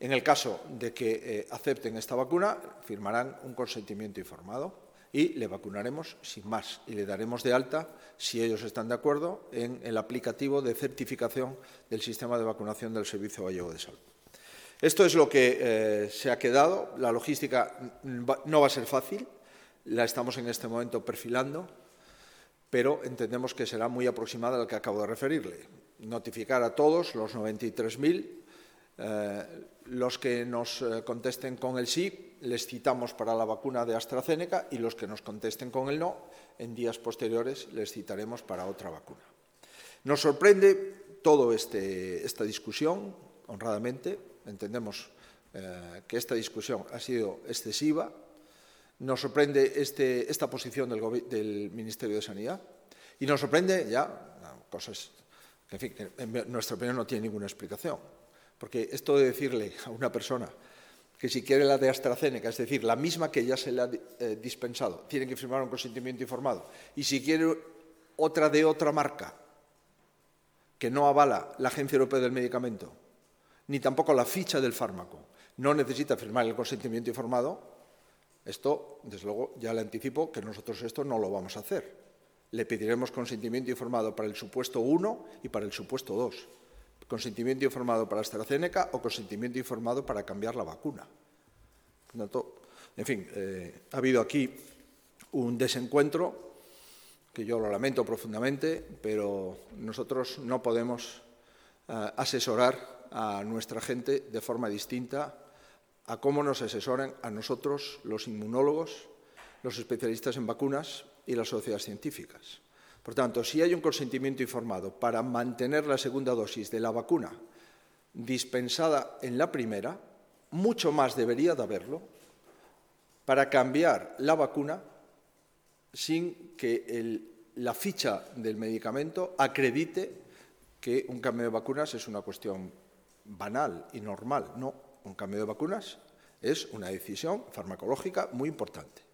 En el caso de que eh, acepten esta vacuna, firmarán un consentimiento informado y le vacunaremos sin más y le daremos de alta, si ellos están de acuerdo, en el aplicativo de certificación del sistema de vacunación del Servicio Gallego de Salud. Esto es lo que eh, se ha quedado. La logística no va a ser fácil, la estamos en este momento perfilando, pero entendemos que será muy aproximada a la que acabo de referirle. Notificar a todos los noventa y tres mil, eh, los que nos eh, contesten con el sí, les citamos para la vacuna de AstraZeneca, y los que nos contesten con el no, en días posteriores les citaremos para otra vacuna. Nos sorprende toda este, esta discusión, honradamente. Entendemos eh, que esta discusión ha sido excesiva. Nos sorprende este, esta posición del, del Ministerio de Sanidad y nos sorprende ya cosas que, en fin, que en nuestra opinión no tienen ninguna explicación. Porque esto de decirle a una persona que si quiere la de AstraZeneca, es decir, la misma que ya se le ha eh, dispensado, tiene que firmar un consentimiento informado, y si quiere otra de otra marca que no avala la Agencia Europea del Medicamento, ni tampoco la ficha del fármaco, no necesita firmar el consentimiento informado, esto, desde luego, ya le anticipo que nosotros esto no lo vamos a hacer. Le pediremos consentimiento informado para el supuesto uno y para el supuesto dos. Consentimiento informado para AstraZeneca o consentimiento informado para cambiar la vacuna. En fin, eh, ha habido aquí un desencuentro que yo lo lamento profundamente, pero nosotros no podemos eh, asesorar a nuestra gente de forma distinta a cómo nos asesoran a nosotros los inmunólogos, los especialistas en vacunas y las sociedades científicas. Por tanto, si hay un consentimiento informado para mantener la segunda dosis de la vacuna dispensada en la primera, mucho más debería de haberlo para cambiar la vacuna sin que el, la ficha del medicamento acredite que un cambio de vacunas es una cuestión banal y normal. No, un cambio de vacunas es una decisión farmacológica muy importante.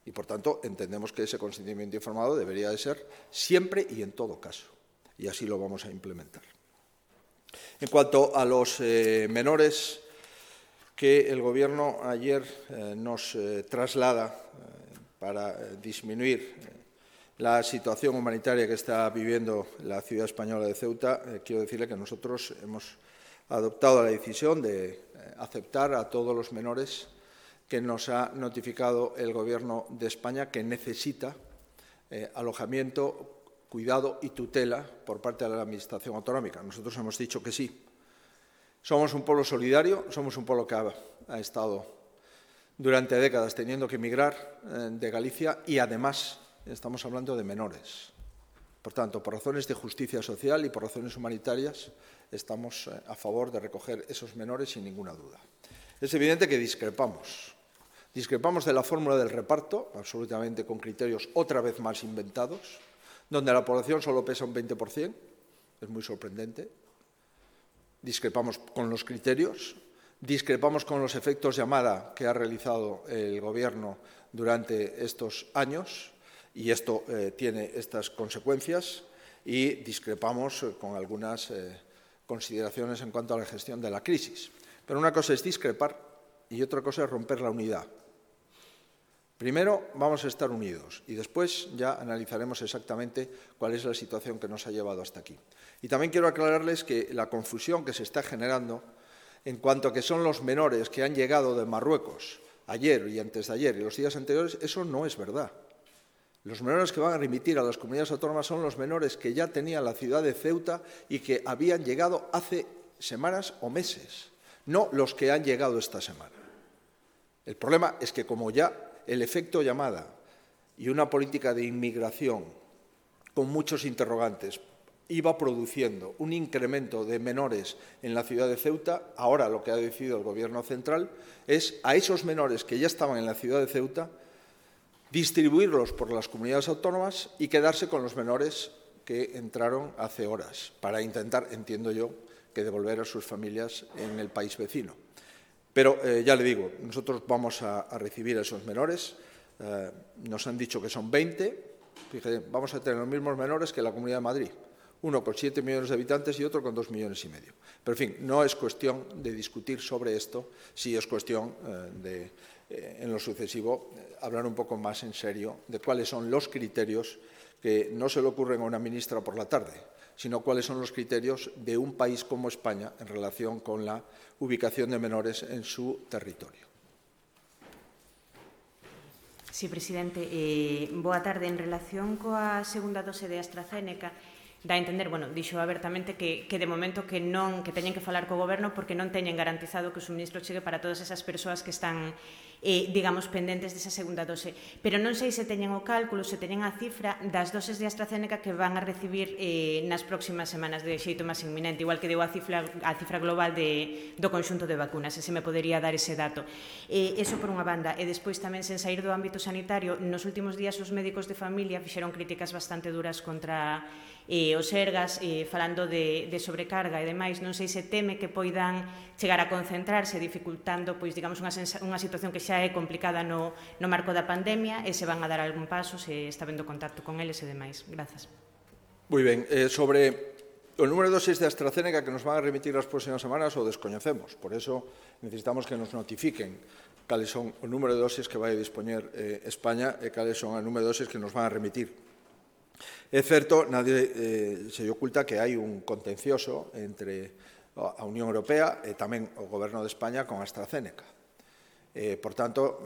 Y, por tanto, entendemos que ese consentimiento informado debería de ser siempre y en todo caso. Y así lo vamos a implementar. En cuanto a los eh, menores que el Gobierno ayer eh, nos eh, traslada eh, para eh, disminuir eh, la situación humanitaria que está viviendo la ciudad española de Ceuta, eh, quiero decirle que nosotros hemos adoptado la decisión de eh, aceptar a todos los menores que nos ha notificado el Gobierno de España que necesita eh, alojamiento, cuidado y tutela por parte de la Administración autonómica. Nosotros hemos dicho que sí. Somos un pueblo solidario, somos un pueblo que ha, ha estado durante décadas teniendo que emigrar eh, de Galicia y además estamos hablando de menores. Por tanto, por razones de justicia social y por razones humanitarias estamos eh, a favor de recoger esos menores sin ninguna duda. Es evidente que discrepamos. Discrepamos de la fórmula del reparto, absolutamente con criterios otra vez más inventados, donde la población solo pesa un veinte por cien, es muy sorprendente. Discrepamos con los criterios, discrepamos con los efectos llamada que ha realizado el Gobierno durante estos años, y esto eh, tiene estas consecuencias, y discrepamos eh, con algunas eh, consideraciones en cuanto a la gestión de la crisis. Pero una cosa es discrepar y otra cosa es romper la unidad. Primero vamos a estar unidos y después ya analizaremos exactamente cuál es la situación que nos ha llevado hasta aquí. Y también quiero aclararles que la confusión que se está generando en cuanto a que son los menores que han llegado de Marruecos ayer y antes de ayer y los días anteriores, eso no es verdad. Los menores que van a remitir a las comunidades autónomas son los menores que ya tenía la ciudad de Ceuta y que habían llegado hace semanas o meses, no los que han llegado esta semana. El problema es que como ya el efecto llamada y una política de inmigración con muchos interrogantes iba produciendo un incremento de menores en la ciudad de Ceuta, ahora lo que ha decidido el Gobierno central es a esos menores que ya estaban en la ciudad de Ceuta distribuirlos por las comunidades autónomas y quedarse con los menores que entraron hace horas para intentar, entiendo yo, que devolver a sus familias en el país vecino. Pero eh, ya le digo, nosotros vamos a, a recibir a esos menores, eh, nos han dicho que son veinte, fíjate, vamos a tener los mismos menores que la Comunidad de Madrid, uno con siete millones de habitantes y otro con dos millones y medio. Pero, en fin, no es cuestión de discutir sobre esto, sí es cuestión eh, de, eh, en lo sucesivo, eh, hablar un poco más en serio de cuáles son los criterios que no se le ocurren a una ministra por la tarde, sino cuáles son los criterios de un país como España en relación con la ubicación de menores en su territorio. Sí, presidente. Eh, boa tarde. En relación coa segunda dose de AstraZeneca, dá a entender, bueno, dixo abertamente que, que de momento que non que teñen que falar co Goberno porque non teñen garantizado que o suministro chegue para todas esas persoas que están, eh, digamos, pendentes desa segunda dose. Pero non sei se teñen o cálculo, se teñen a cifra das doses de AstraZeneca que van a recibir eh, nas próximas semanas de xeito máis inminente, igual que deu a cifra, a cifra global de, do conxunto de vacunas, e se me podería dar ese dato. Eh, eso por unha banda, e despois tamén, sen sair do ámbito sanitario, nos últimos días os médicos de familia fixeron críticas bastante duras contra eh, os Sergas, eh, falando de, de sobrecarga e demais. Non sei se teme que poidan chegar a concentrarse, dificultando, pois, digamos, unha, unha situación que xa é complicada no, no marco da pandemia, e se van a dar algún paso, se está vendo contacto con eles e demais. Grazas. Moi ben. Eh, sobre o número de dosis de AstraZeneca que nos van a remitir as próximas semanas o descoñecemos. Por eso necesitamos que nos notifiquen cales son o número de dosis que vai a dispoñer eh, España e cales son o número de dosis que nos van a remitir. É certo, nadie eh, se lle oculta que hai un contencioso entre a Unión Europea e tamén o Goberno de España con AstraZeneca. Eh, por tanto,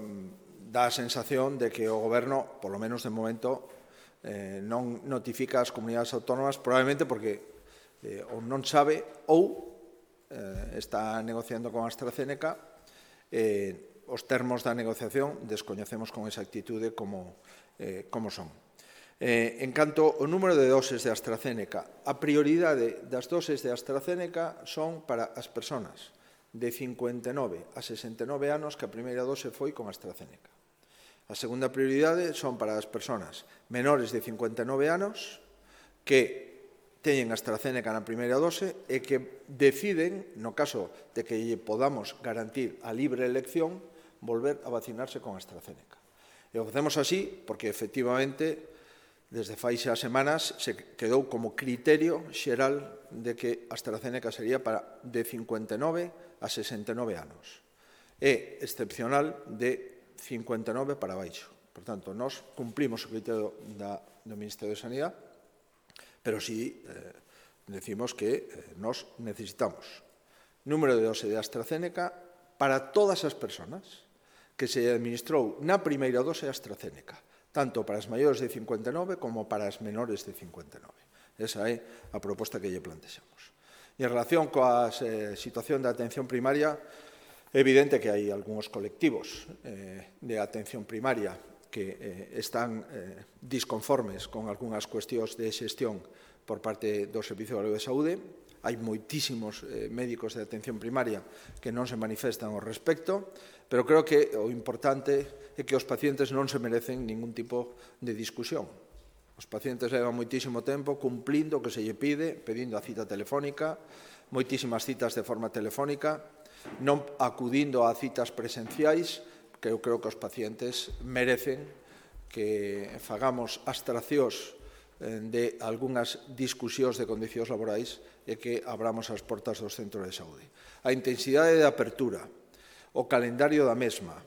dá a sensación de que o Goberno, por lo menos de momento, eh, non notifica as comunidades autónomas, probablemente porque eh, ou non sabe ou eh, está negociando con AstraZeneca, eh, os termos da negociación descoñecemos con exactitude como, eh, como son. Eh, en canto ao número de doses de AstraZeneca, a prioridade das doses de AstraZeneca son para as persoas de cincuenta e nove a sesenta e nove anos que a primeira dose foi con AstraZeneca. A segunda prioridade son para as persoas menores de cincuenta e nove anos que teñen AstraZeneca na primeira dose e que deciden, no caso de que lle podamos garantir a libre elección, volver a vacinarse con AstraZeneca. E o facemos así porque, efectivamente, desde fai xa semanas se quedou como criterio xeral de que AstraZeneca sería para de cincuenta e nove a sesenta e nove anos e excepcional de cincuenta e nove para baixo. Por tanto, nós cumplimos o criterio da, do Ministerio de Sanidade, pero sí eh, decimos que eh, nós necesitamos número de dose de AstraZeneca para todas as persoas que se administrou na primeira dose AstraZeneca, tanto para as maiores de cincuenta e nove como para as menores de cincuenta e nove. Esa é a proposta que lle plantexamos. E en relación coa eh, situación da atención primaria, é evidente que hai algúns colectivos eh, de atención primaria que eh, están eh, disconformes con algunhas cuestións de xestión por parte do Servicio Galego de Saúde. Hai moitísimos eh, médicos de atención primaria que non se manifestan ao respecto, pero creo que o importante é que os pacientes non se merecen ningún tipo de discusión. Os pacientes levan moitísimo tempo cumplindo o que se lle pide, pedindo a cita telefónica, moitísimas citas de forma telefónica, non acudindo a citas presenciais, que eu creo que os pacientes merecen que fagamos abstraccións de algunhas discusións de condicións laborais e que abramos as portas dos centros de saúde. A intensidade de apertura, o calendario da mesma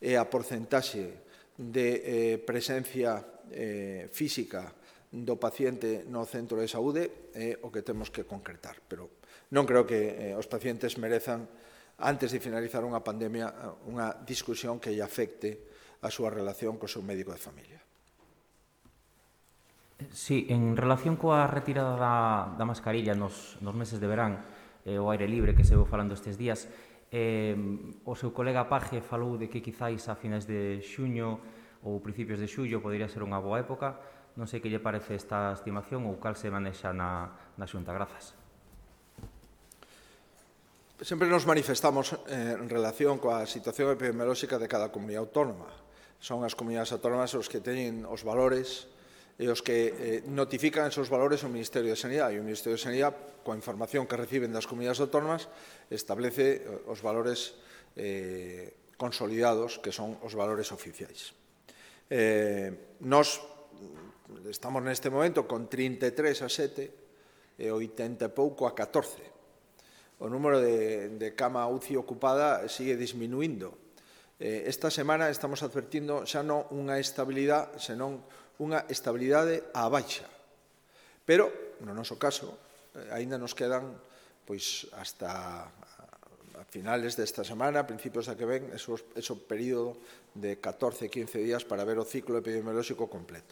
e a porcentaxe de eh, presencia eh, física do paciente no centro de saúde é o que temos que concretar. Pero non creo que eh, os pacientes merezan, antes de finalizar unha pandemia, unha discusión que lle afecte a súa relación co seu médico de familia. Sí, en relación coa retirada da, da mascarilla nos, nos meses de verán, eh, o aire libre que se veu falando estes días, eh, o seu colega Paje falou de que quizáis a finais de xuño ou principios de xullo podería ser unha boa época. Non sei que lle parece esta estimación ou cal se manexa na, na Xunta. Grazas. Sempre nos manifestamos eh, en relación coa situación epidemiolóxica de cada comunidade autónoma. Son as comunidades autónomas os que teñen os valores e os que eh, notifican esos valores ao Ministerio de Sanidade. E o Ministerio de Sanidade, coa información que reciben das comunidades autónomas, establece os valores eh, consolidados, que son os valores oficiais. Eh, nos estamos neste momento con trinta e tres a sete e oitenta e pouco a catorce. O número de, de cama U C I ocupada sigue disminuindo. Eh, esta semana estamos advertindo xa non unha estabilidade, senón unha estabilidade á baixa. Pero, no noso caso, eh, aínda nos quedan pois hasta a finales desta semana, a principios da que ven, ese, ese período de catorce a quince días para ver o ciclo epidemiolóxico completo.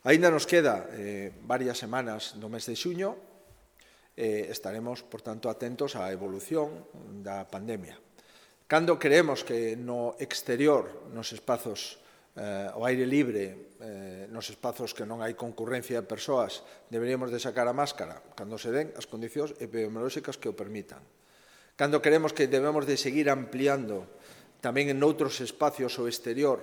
Aínda nos queda eh, varias semanas do mes de xuño, eh, estaremos, por tanto, atentos á evolución da pandemia. Cando creemos que no exterior, nos espazos eh, ao aire libre, eh, nos espazos que non hai concurrencia de persoas, deberíamos de sacar a máscara cando se den as condicións epidemiolóxicas que o permitan. Cando creemos que debemos de seguir ampliando tamén en outros espacios ao exterior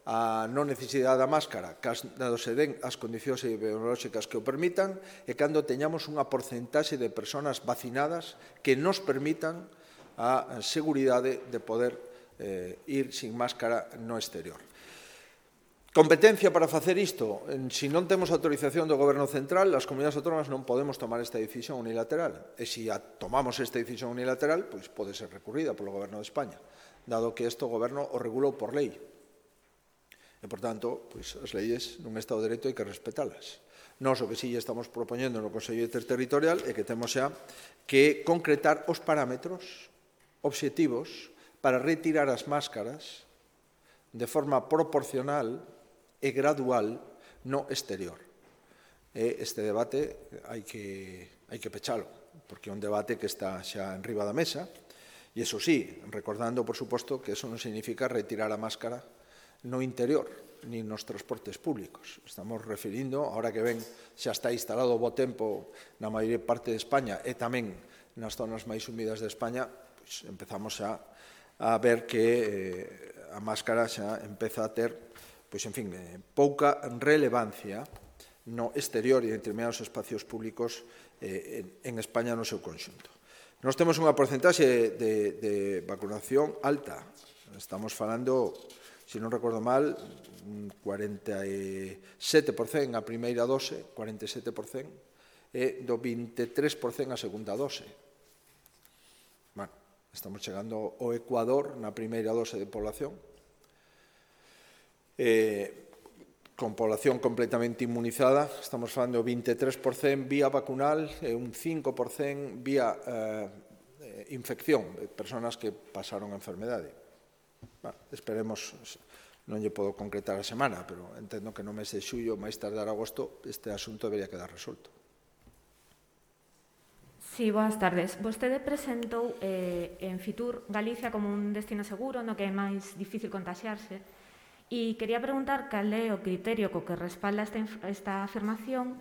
a non necesidade da máscara, cando se den as condicións epidemiolóxicas que o permitan, e cando teñamos unha porcentaxe de persoas vacinadas que nos permitan a seguridade de poder eh, ir sin máscara no exterior. Competencia para facer isto. Se non temos autorización do Goberno Central, as comunidades autónomas non podemos tomar esta decisión unilateral. E se a tomamos esta decisión unilateral, pois pode ser recurrida polo Goberno de España, dado que isto o Goberno o regulou por lei. E, por tanto, pois, as leyes nun Estado de Dereito hai que respetalas. Nós o que si estamos propoñendo no Consello Interterritorial é que temos xa que concretar os parámetros obxectivos para retirar as máscaras de forma proporcional e gradual no exterior. E este debate hai que, hai que pechalo, porque é un debate que está xa en riba da mesa, e iso sí, recordando, por suposto, que eso non significa retirar a máscara no interior, ni nos transportes públicos. Estamos referindo, ahora que ven, xa está instalado o bo tempo na maior parte de España e tamén nas zonas máis húmidas de España, pois empezamos a, a ver que eh, a máscara xa empeza a ter, pois, en fin, eh, pouca relevancia no exterior e en determinados espacios públicos eh, en, en España no seu conxunto. Nós temos unha porcentaxe de, de vacunación alta. Estamos falando, se non recordo mal, cuarenta e sete por cento a primeira dose, cuarenta e sete por cento, e do vinte e tres por cento a segunda dose. Bueno, estamos chegando ao Ecuador na primeira dose de población. Eh, con población completamente inmunizada, estamos falando vinte e tres por cento vía vacunal e un cinco por cento vía eh, infección, de personas que pasaron a enfermedade. Bueno, esperemos Non lle podo concretar a semana, pero entendo que no mes de xullo, máis tardar agosto, este asunto debería quedar resolto. Sí, boas tardes. Vostede presentou eh, en Fitur Galicia como un destino seguro, no que é máis difícil contaxiarse, e quería preguntar cal é o criterio co que respalda esta, esta afirmación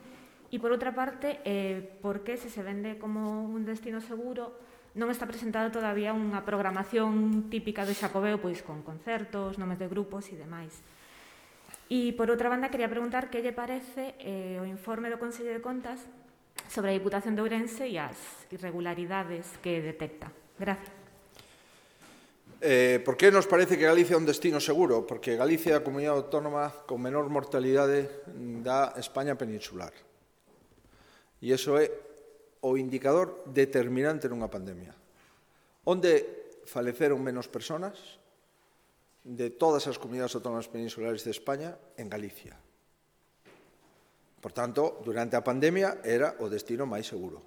e, por outra parte, eh, por que se se vende como un destino seguro non está presentada todavía unha programación típica do Xacobeo, pois con concertos, nomes de grupos e demais. E, por outra banda, quería preguntar que lle parece eh, o informe do Consello de Contas sobre a Diputación de Ourense e as irregularidades que detecta. Gracias. Eh, por que nos parece que Galicia é un destino seguro? Porque Galicia é a comunidade autónoma con menor mortalidade da España peninsular. E iso é o indicador determinante nunha pandemia. Onde faleceron menos persoas de todas as comunidades autónomas peninsulares de España en Galicia. Por tanto, durante a pandemia era o destino máis seguro.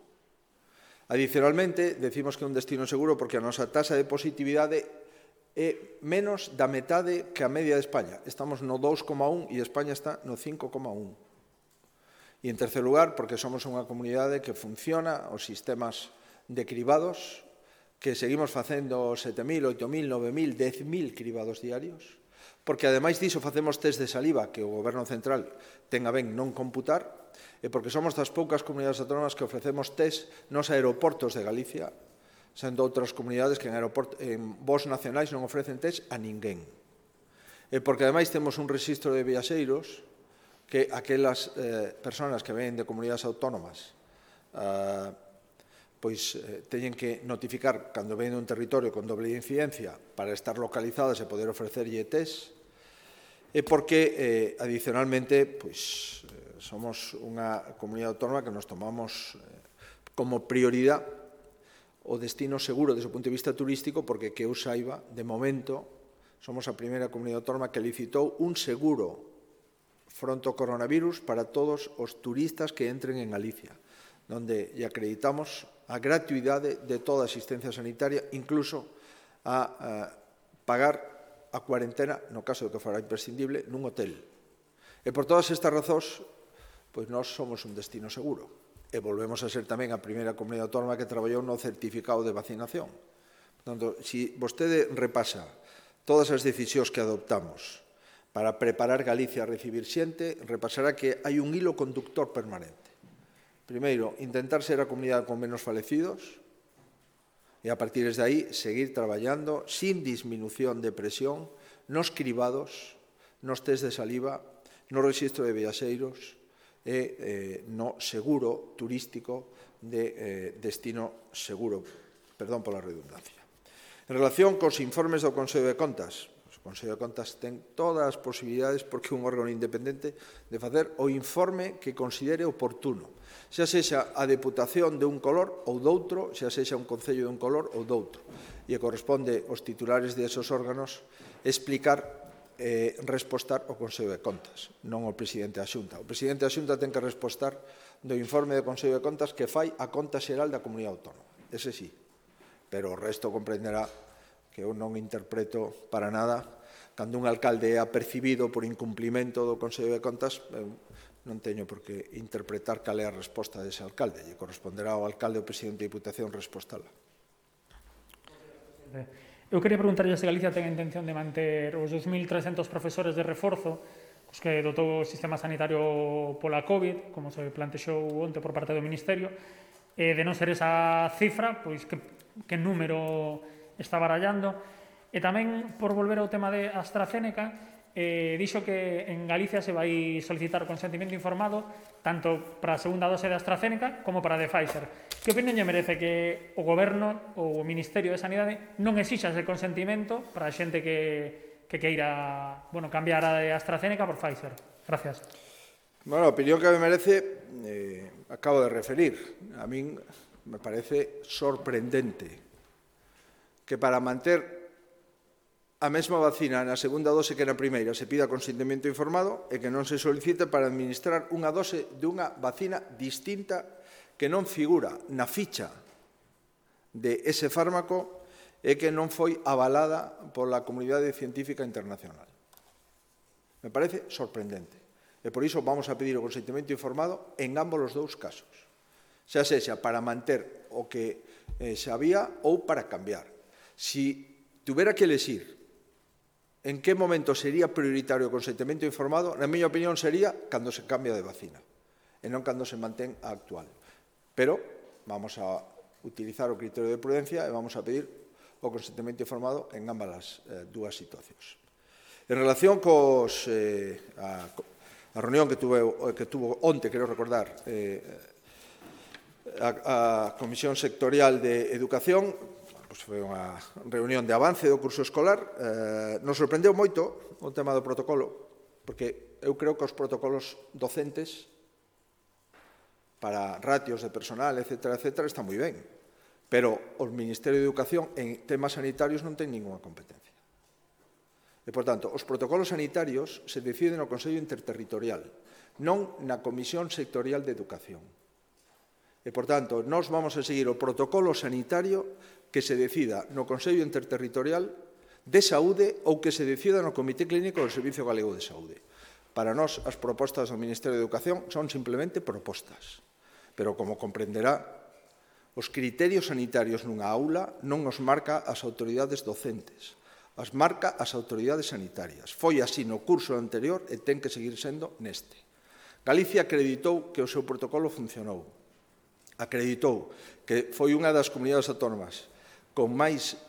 Adicionalmente, decimos que é un destino seguro porque a nosa tasa de positividade é menos da metade que a media de España. Estamos no dous coma un e España está no cinco coma un. E, en terceiro lugar, porque somos unha comunidade que funciona os sistemas de cribados, que seguimos facendo sete mil, oito mil, nove mil, dez mil cribados diarios, porque, ademais diso, facemos test de saliva que o Goberno Central ten a ben non computar, e porque somos das poucas comunidades autónomas que ofrecemos test nos aeroportos de Galicia, sendo outras comunidades que en, en voos nacionais non ofrecen test a ninguén. E porque, ademais, temos un registro de viaxeiros que aquelas eh, persoas que ven de comunidades autónomas eh, pois eh, teñen que notificar cando ven un territorio con doble incidencia para estar localizadas e poder ofrecerlle test, e porque, eh, adicionalmente, pois, eh, somos unha comunidade autónoma que nos tomamos eh, como prioridade o destino seguro desde o punto de vista turístico, porque, que eu saiba, de momento, somos a primeira comunidade autónoma que licitou un seguro fronte ao coronavirus para todos os turistas que entren en Galicia, donde lle acreditamos a gratuidade de toda a asistencia sanitaria, incluso a, a pagar a cuarentena, no caso de que fora imprescindible, nun hotel. E por todas estas razóns, pois nós somos un destino seguro. E volvemos a ser tamén a primeira comunidade autónoma que traballou no certificado de vacinación. Por tanto, se vostede repasa todas as decisións que adoptamos para preparar Galicia a recibir xente, repasará que hai un hilo conductor permanente. Primeiro, intentar ser a comunidade con menos falecidos, e a partir de aí seguir traballando sin disminución de presión nos cribados, nos test de saliva, no registro de viaxeiros e eh, no seguro turístico de eh, destino seguro, perdón pola redundancia. En relación cos informes do Consello de Contas, o Consello de Contas ten todas as posibilidades porque é un órgano independente de facer o informe que considere oportuno, xa sexa a Deputación de un color ou doutro, xa sexa un Concello de un color ou doutro. E corresponde aos titulares de esos órganos explicar, eh, respostar ao Consello de Contas, non ao Presidente da Xunta. O Presidente da Xunta ten que respostar do informe do Consello de Contas que fai a Conta Xeral da Comunidade Autónoma. Ese sí. Pero o resto comprenderá que eu non interpreto para nada cando un alcalde é apercibido por incumplimento do Consello de Contas, eu non teño por que interpretar cal é a resposta dese alcalde. Lle corresponderá ao alcalde ou presidente da Diputación respostala. Eu queria preguntarlle se Galicia ten a intención de manter os dos mil trescentos profesores de reforzo os que dotou o sistema sanitario pola COVID, como se plantexou onte por parte do Ministerio, e de non ser esa cifra, pois que, que número está barallando. E tamén, por volver ao tema de AstraZeneca, Eh, dixo que en Galicia se vai solicitar o consentimento informado tanto para a segunda dose de AstraZeneca como para a de Pfizer. Que opinión lle merece que o Goberno ou o Ministerio de Sanidade non exixa ese consentimento para a xente que, que queira bueno, cambiar a de AstraZeneca por Pfizer? Gracias. Bueno, a opinión que me merece eh, acabo de referir. A min me parece sorprendente que para manter a mesma vacina na segunda dose que na primeira se pida consentimento informado e que non se solicite para administrar unha dose dunha vacina distinta que non figura na ficha de ese fármaco e que non foi avalada pola comunidade científica internacional. Me parece sorprendente. E por iso vamos a pedir o consentimento informado en ambos os dous casos. Xa sexa para manter o que eh, xa había ou para cambiar. Si tuvera que elegir en que momento sería prioritario o consentimento informado, na miña opinión sería cando se cambia de vacina e non cando se mantén a actual. Pero vamos a utilizar o criterio de prudencia e vamos a pedir o consentimento informado en ambas as eh, dúas situacións. En relación cos, eh, a, a reunión que, tuve, que tuvo onte, quero recordar, eh, a, a Comisión Sectorial de Educación, pues foi unha reunión de avance do curso escolar, eh, nos sorprendeu moito o tema do protocolo, porque eu creo que os protocolos docentes para ratios de personal, etcétera, etcétera, está moi ben, pero o Ministerio de Educación en temas sanitarios non ten ninguna competencia. E, por tanto, os protocolos sanitarios se deciden no Consello Interterritorial, non na Comisión Sectorial de Educación. E, por tanto, nós vamos a seguir o protocolo sanitario que se decida no Consello Interterritorial de Saúde ou que se decida no Comité Clínico do Servicio Galego de Saúde. Para nós, as propostas do Ministerio de Educación son simplemente propostas. Pero, como comprenderá, os criterios sanitarios nunha aula non os marca as autoridades docentes, as marca as autoridades sanitarias. Foi así no curso anterior e ten que seguir sendo neste. Galicia acreditou que o seu protocolo funcionou. Acreditou que foi unha das comunidades autónomas con máis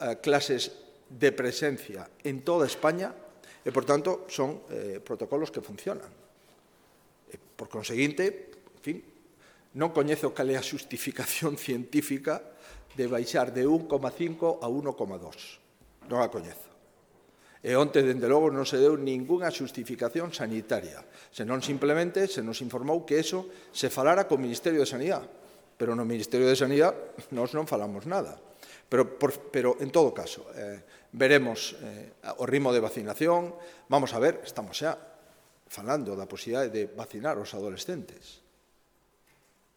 eh, clases de presencia en toda España e, por tanto, son eh, protocolos que funcionan. E, por conseguinte, en fin, non coñezo cal é a xustificación científica de baixar de un coma cinco a un coma dos. Non a coñezo. E onte, dende logo, non se deu ningunha xustificación sanitaria, senón simplemente se nos informou que eso se falara co Ministerio de Sanidade. Pero no Ministerio de Sanidade nós non falamos nada. Pero, por, pero en todo caso, eh, veremos eh, o ritmo de vacinación. Vamos a ver, estamos xa falando da posibilidade de vacinar os adolescentes.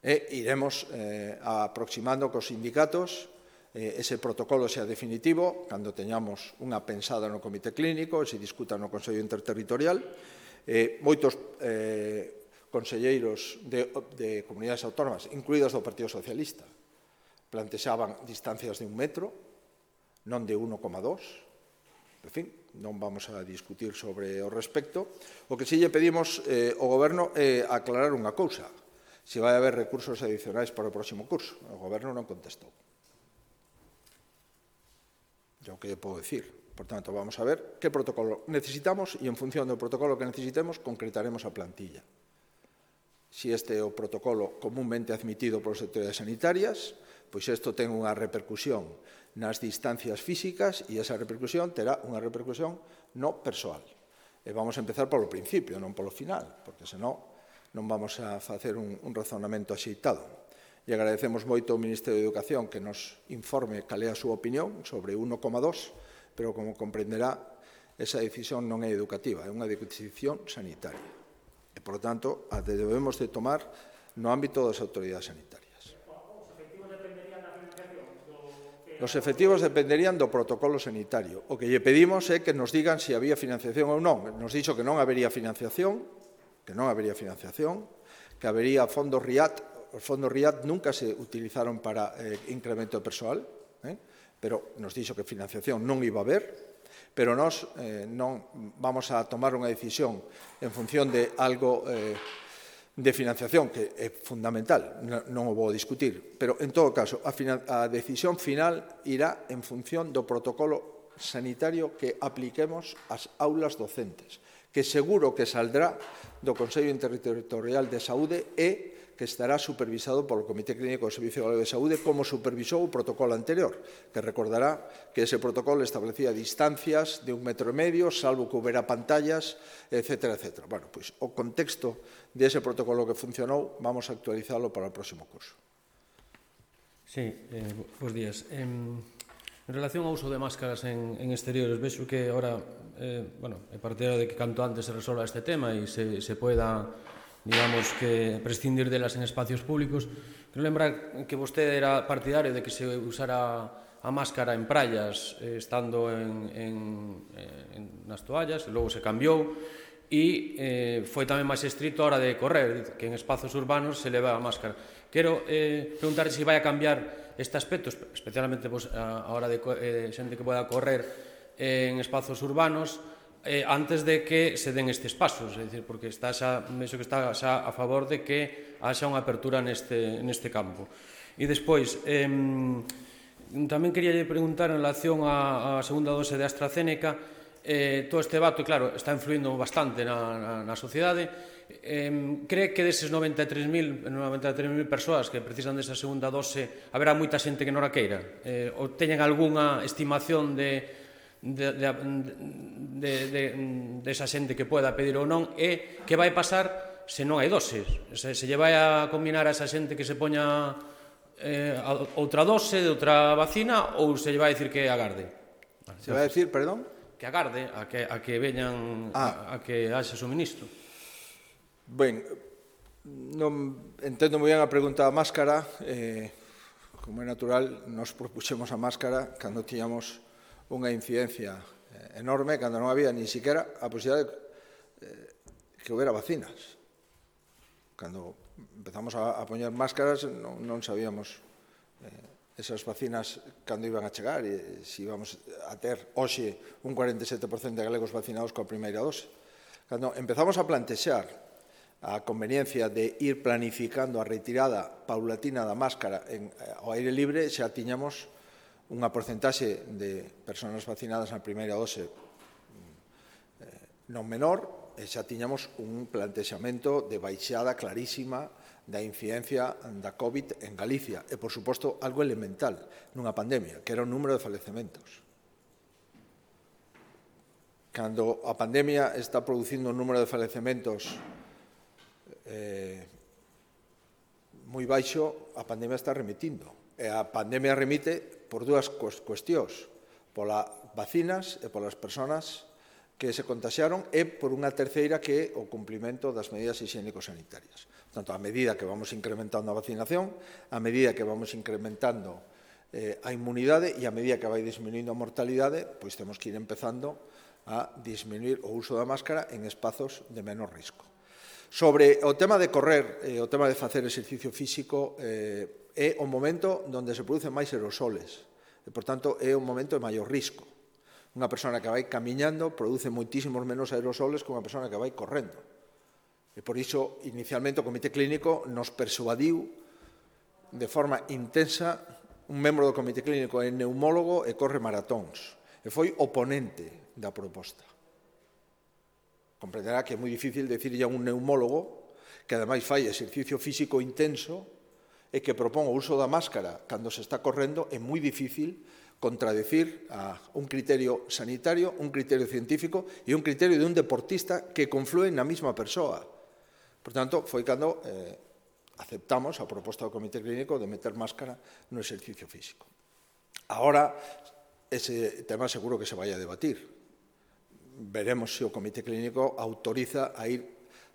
E iremos eh, aproximando cos sindicatos ese protocolo sea definitivo, cando teñamos unha pensada no Comité Clínico, se discuta no Consello Interterritorial. Eh, moitos eh, conselleiros de, de comunidades autónomas, incluídas do Partido Socialista, plantexaban distancias de un metro, non de un coma dos. En fin, non vamos a discutir sobre o respecto. O que si lle pedimos eh, ao Goberno é aclarar unha cousa. Se vai haber recursos adicionais para o próximo curso. O Goberno non contestou. É o que lle podo dicir. Por tanto, vamos a ver que protocolo necesitamos e, en función do protocolo que necesitemos, concretaremos a plantilla. Si este é o protocolo comúnmente admitido polas autoridades sanitarias, pois isto ten unha repercusión nas distancias físicas e esa repercusión terá unha repercusión no persoal. E vamos a empezar polo principio, non polo final, porque senón non vamos a facer un, un razonamento axeitado. E agradecemos moito ao Ministerio de Educación que nos informe cal é a súa opinión sobre un coma dos, pero, como comprenderá, esa decisión non é educativa, é unha decisión sanitaria. E, por tanto, a debemos de tomar no ámbito das autoridades sanitarias. Os efectivos dependerían do protocolo sanitario. O que lle pedimos é que nos digan se había financiación ou non. Nos dixo que non habería financiación, que non habería financiación, que habería fondos R I A T. Os fondos R I A T nunca se utilizaron para eh, incremento de persoal, eh? pero nos dixo que financiación non iba a haber, pero nós eh, non vamos a tomar unha decisión en función de algo eh, de financiación que é fundamental, non o vou discutir, pero en todo caso a, final, a decisión final irá en función do protocolo sanitario que apliquemos ás aulas docentes, que seguro que saldrá do Consello Interterritorial de Saúde e que estará supervisado polo Comité Clínico do Servicio Galego de Saúde, como supervisou o protocolo anterior, que recordará que ese protocolo establecía distancias de un metro e medio, salvo que houbera pantallas, etcétera, etcétera. Bueno, pois o contexto dese protocolo que funcionou, vamos a actualizalo para o próximo curso. Sí, eh, bons días. Eh, en relación ao uso de máscaras en, en exteriores, vexo que ahora, eh, bueno, é partidario de que canto antes se resolva este tema e se, se poida, digamos, que prescindir delas en espacios públicos. Quero lembrar que vostede era partidario de que se usara a a máscara en praias eh, estando en, en, en, nas toallas, e logo se cambiou, e eh, foi tamén máis estrito a hora de correr, que en espazos urbanos se leva a máscara. Quero eh, preguntar se vai a cambiar este aspecto, especialmente pues, a, a hora de eh, xente que poda correr eh, en espazos urbanos, eh, antes de que se den estes pasos, é dicir, porque está xa, iso que está xa a favor de que haxa unha apertura neste, neste campo. E despois, eh, tamén quería preguntar en relación á, á segunda dose de AstraZeneca, eh, todo este debate, claro, está influindo bastante na, na, na sociedade. Eh, cree que deses noventa e tres mil persoas que precisan desa segunda dose haberá moita xente que non a queira? Eh, ou teñen algunha estimación de de, de, de, de, de esa xente que poda pedir ou non, e que vai pasar se non hai doses? Se, se lle vai a combinar a esa xente que se poña eh, outra dose de outra vacina, ou se lle vai a dicir que agarde? Se vai a dicir, perdón? Que agarde a que, a que veñan ah. a, a que haxe suministro. Ben, non entendo moi ben a pregunta da máscara. Eh, como é natural, nos propuxemos a máscara cando tiñamos unha incidencia eh, enorme, cando non había ni siquiera a posibilidade de eh, que houbera vacinas. Cando empezamos a, a poñer máscaras non, non sabíamos eh, esas vacinas cando iban a chegar e se íbamos a ter hoxe un cuarenta e sete por cento de galegos vacinados coa primeira dose. Cando empezamos a plantexar a conveniencia de ir planificando a retirada paulatina da máscara en, ao aire libre, xa tiñamos unha porcentaxe de persoas vacinadas na primeira dose eh, non menor, e xa tiñamos un plantexamento de baixada clarísima da incidencia da COVID en Galicia, e, por suposto, algo elemental nunha pandemia, que era o número de falecementos. Cando a pandemia está producindo un número de falecementos eh, moi baixo, a pandemia está remitindo. E a pandemia remite por dúas cuestións, polas vacinas e polas persoas que se contaxiaron, e por unha terceira que é o cumprimento das medidas higiénico-sanitarias. Tanto, a medida que vamos incrementando a vacinación, a medida que vamos incrementando eh, a inmunidade e a medida que vai disminuindo a mortalidade, pois temos que ir empezando a disminuir o uso da máscara en espazos de menor risco. Sobre o tema de correr, eh, o tema de facer exercicio físico, eh, é o momento onde se producen máis aerosoles, e, por tanto, é un momento de maior risco. Unha persona que vai camiñando produce moitísimos menos aerosoles que unha persona que vai correndo. E, por iso, inicialmente, o Comité Clínico nos persuadiu de forma intensa. Un membro do Comité Clínico é neumólogo e corre maratóns, e foi oponente da proposta. Comprenderá que é moi difícil decirlle a un neumólogo que, ademais, fai exercicio físico intenso e que propón o uso da máscara cando se está correndo, é moi difícil contradecir a un criterio sanitario, un criterio científico e un criterio de un deportista que conflúen na mesma persoa. Por tanto, foi cando eh, aceptamos a proposta do Comité Clínico de meter máscara no exercicio físico. Ahora, ese tema seguro que se vai a debatir. Veremos se o Comité Clínico autoriza a ir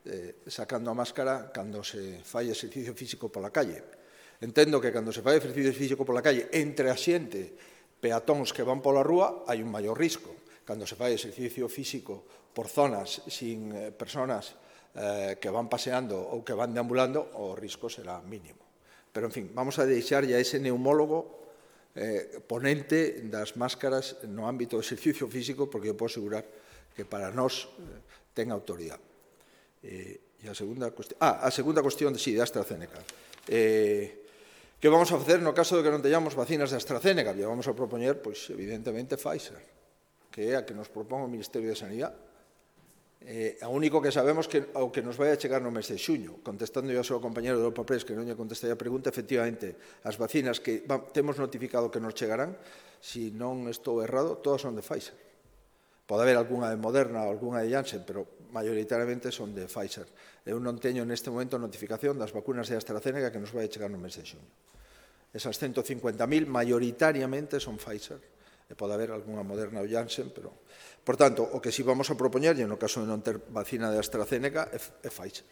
eh, sacando a máscara cando se fai exercicio físico pola calle. Entendo que cando se fai exercicio físico pola calle entre a xente, peatóns que van pola rúa, hai un maior risco. Cando se fai exercicio físico por zonas sin eh, personas eh, que van paseando ou que van deambulando, o risco será mínimo. Pero, en fin, vamos a deixar ya ese neumólogo eh, ponente das máscaras no ámbito do exercicio físico, porque eu podo asegurar que para nós eh, ten autoridade. Eh, e a segunda cuestión, ah, a segunda cuestión, sí, de AstraZeneca. Eh, que vamos a facer no caso de que non teñamos vacinas de AstraZeneca? E vamos a propoñer, pois, evidentemente, Pfizer, que é a que nos propón o Ministerio de Sanidade. Eh, a único que sabemos que o que nos vai a chegar no mes de xuño, contestando yo ao seu compañero de Europa Press, que non lle contestei a pregunta, efectivamente, as vacinas que va, temos notificado que nos chegarán, si non estou errado, todas son de Pfizer. Pode haber algunha de Moderna ou algunha de Janssen, pero maioritariamente son de Pfizer. Eu non teño neste momento notificación das vacunas de AstraZeneca que nos vai a chegar no mes de xuño. Esas ciento cincuenta mil maioritariamente son Pfizer, e pode haber algunha Moderna ou Janssen, pero... Por tanto, o que si vamos a propoñer, e no caso de non ter vacina de AstraZeneca, é, é Pfizer.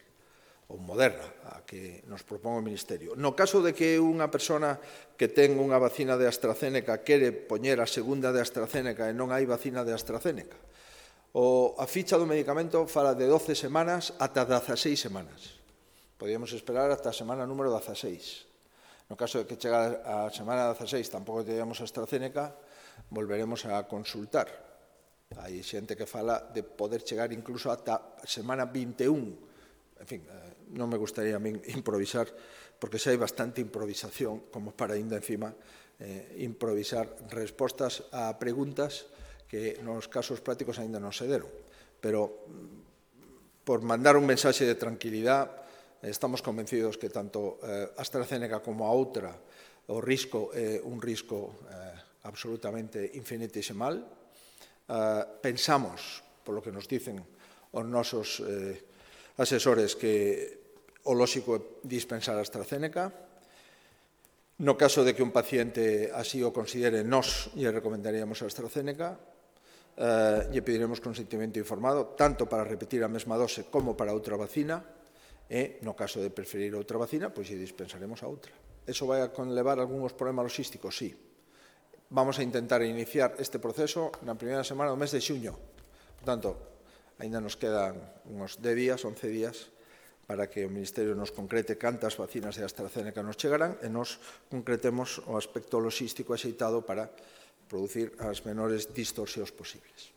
ou Moderna, a que nos propón o Ministerio. No caso de que unha persona que ten unha vacina de AstraZeneca quere poñer a segunda de AstraZeneca e non hai vacina de AstraZeneca, o, a ficha do medicamento fala de doce semanas ata dezaseis semanas. Podíamos esperar ata a semana número dezaseis. No caso de que chega a semana dezaseis tampouco teníamos AstraZeneca, volveremos a consultar. Hai xente que fala de poder chegar incluso ata a semana vinte e un. En fin, non me gustaría a min improvisar, porque xa hai bastante improvisación como para ainda encima eh, improvisar respostas a preguntas que nos casos prácticos ainda non se deron. Pero, por mandar un mensaxe de tranquilidade, estamos convencidos que tanto eh, AstraZeneca como a outra, o risco é eh, un risco eh, absolutamente infinitesimal. Eh, pensamos, polo que nos dicen os nosos eh, asesores, que o lóxico é dispensar a AstraZeneca. No caso de que un paciente así o considere, nós lle recomendaríamos a AstraZeneca, eh, lle pediremos consentimento informado, tanto para repetir a mesma dose como para outra vacina, e, no caso de preferir outra vacina, pois lle dispensaremos a outra. Eso vai a conlevar algúns problemas logísticos? Sí. Vamos a intentar iniciar este proceso na primeira semana do mes de xuño. Por tanto, ainda nos quedan uns dez días, once días, para que o Ministerio nos concrete cantas vacinas de AstraZeneca nos chegarán e nos concretemos o aspecto logístico axeitado para producir as menores distorsións posibles.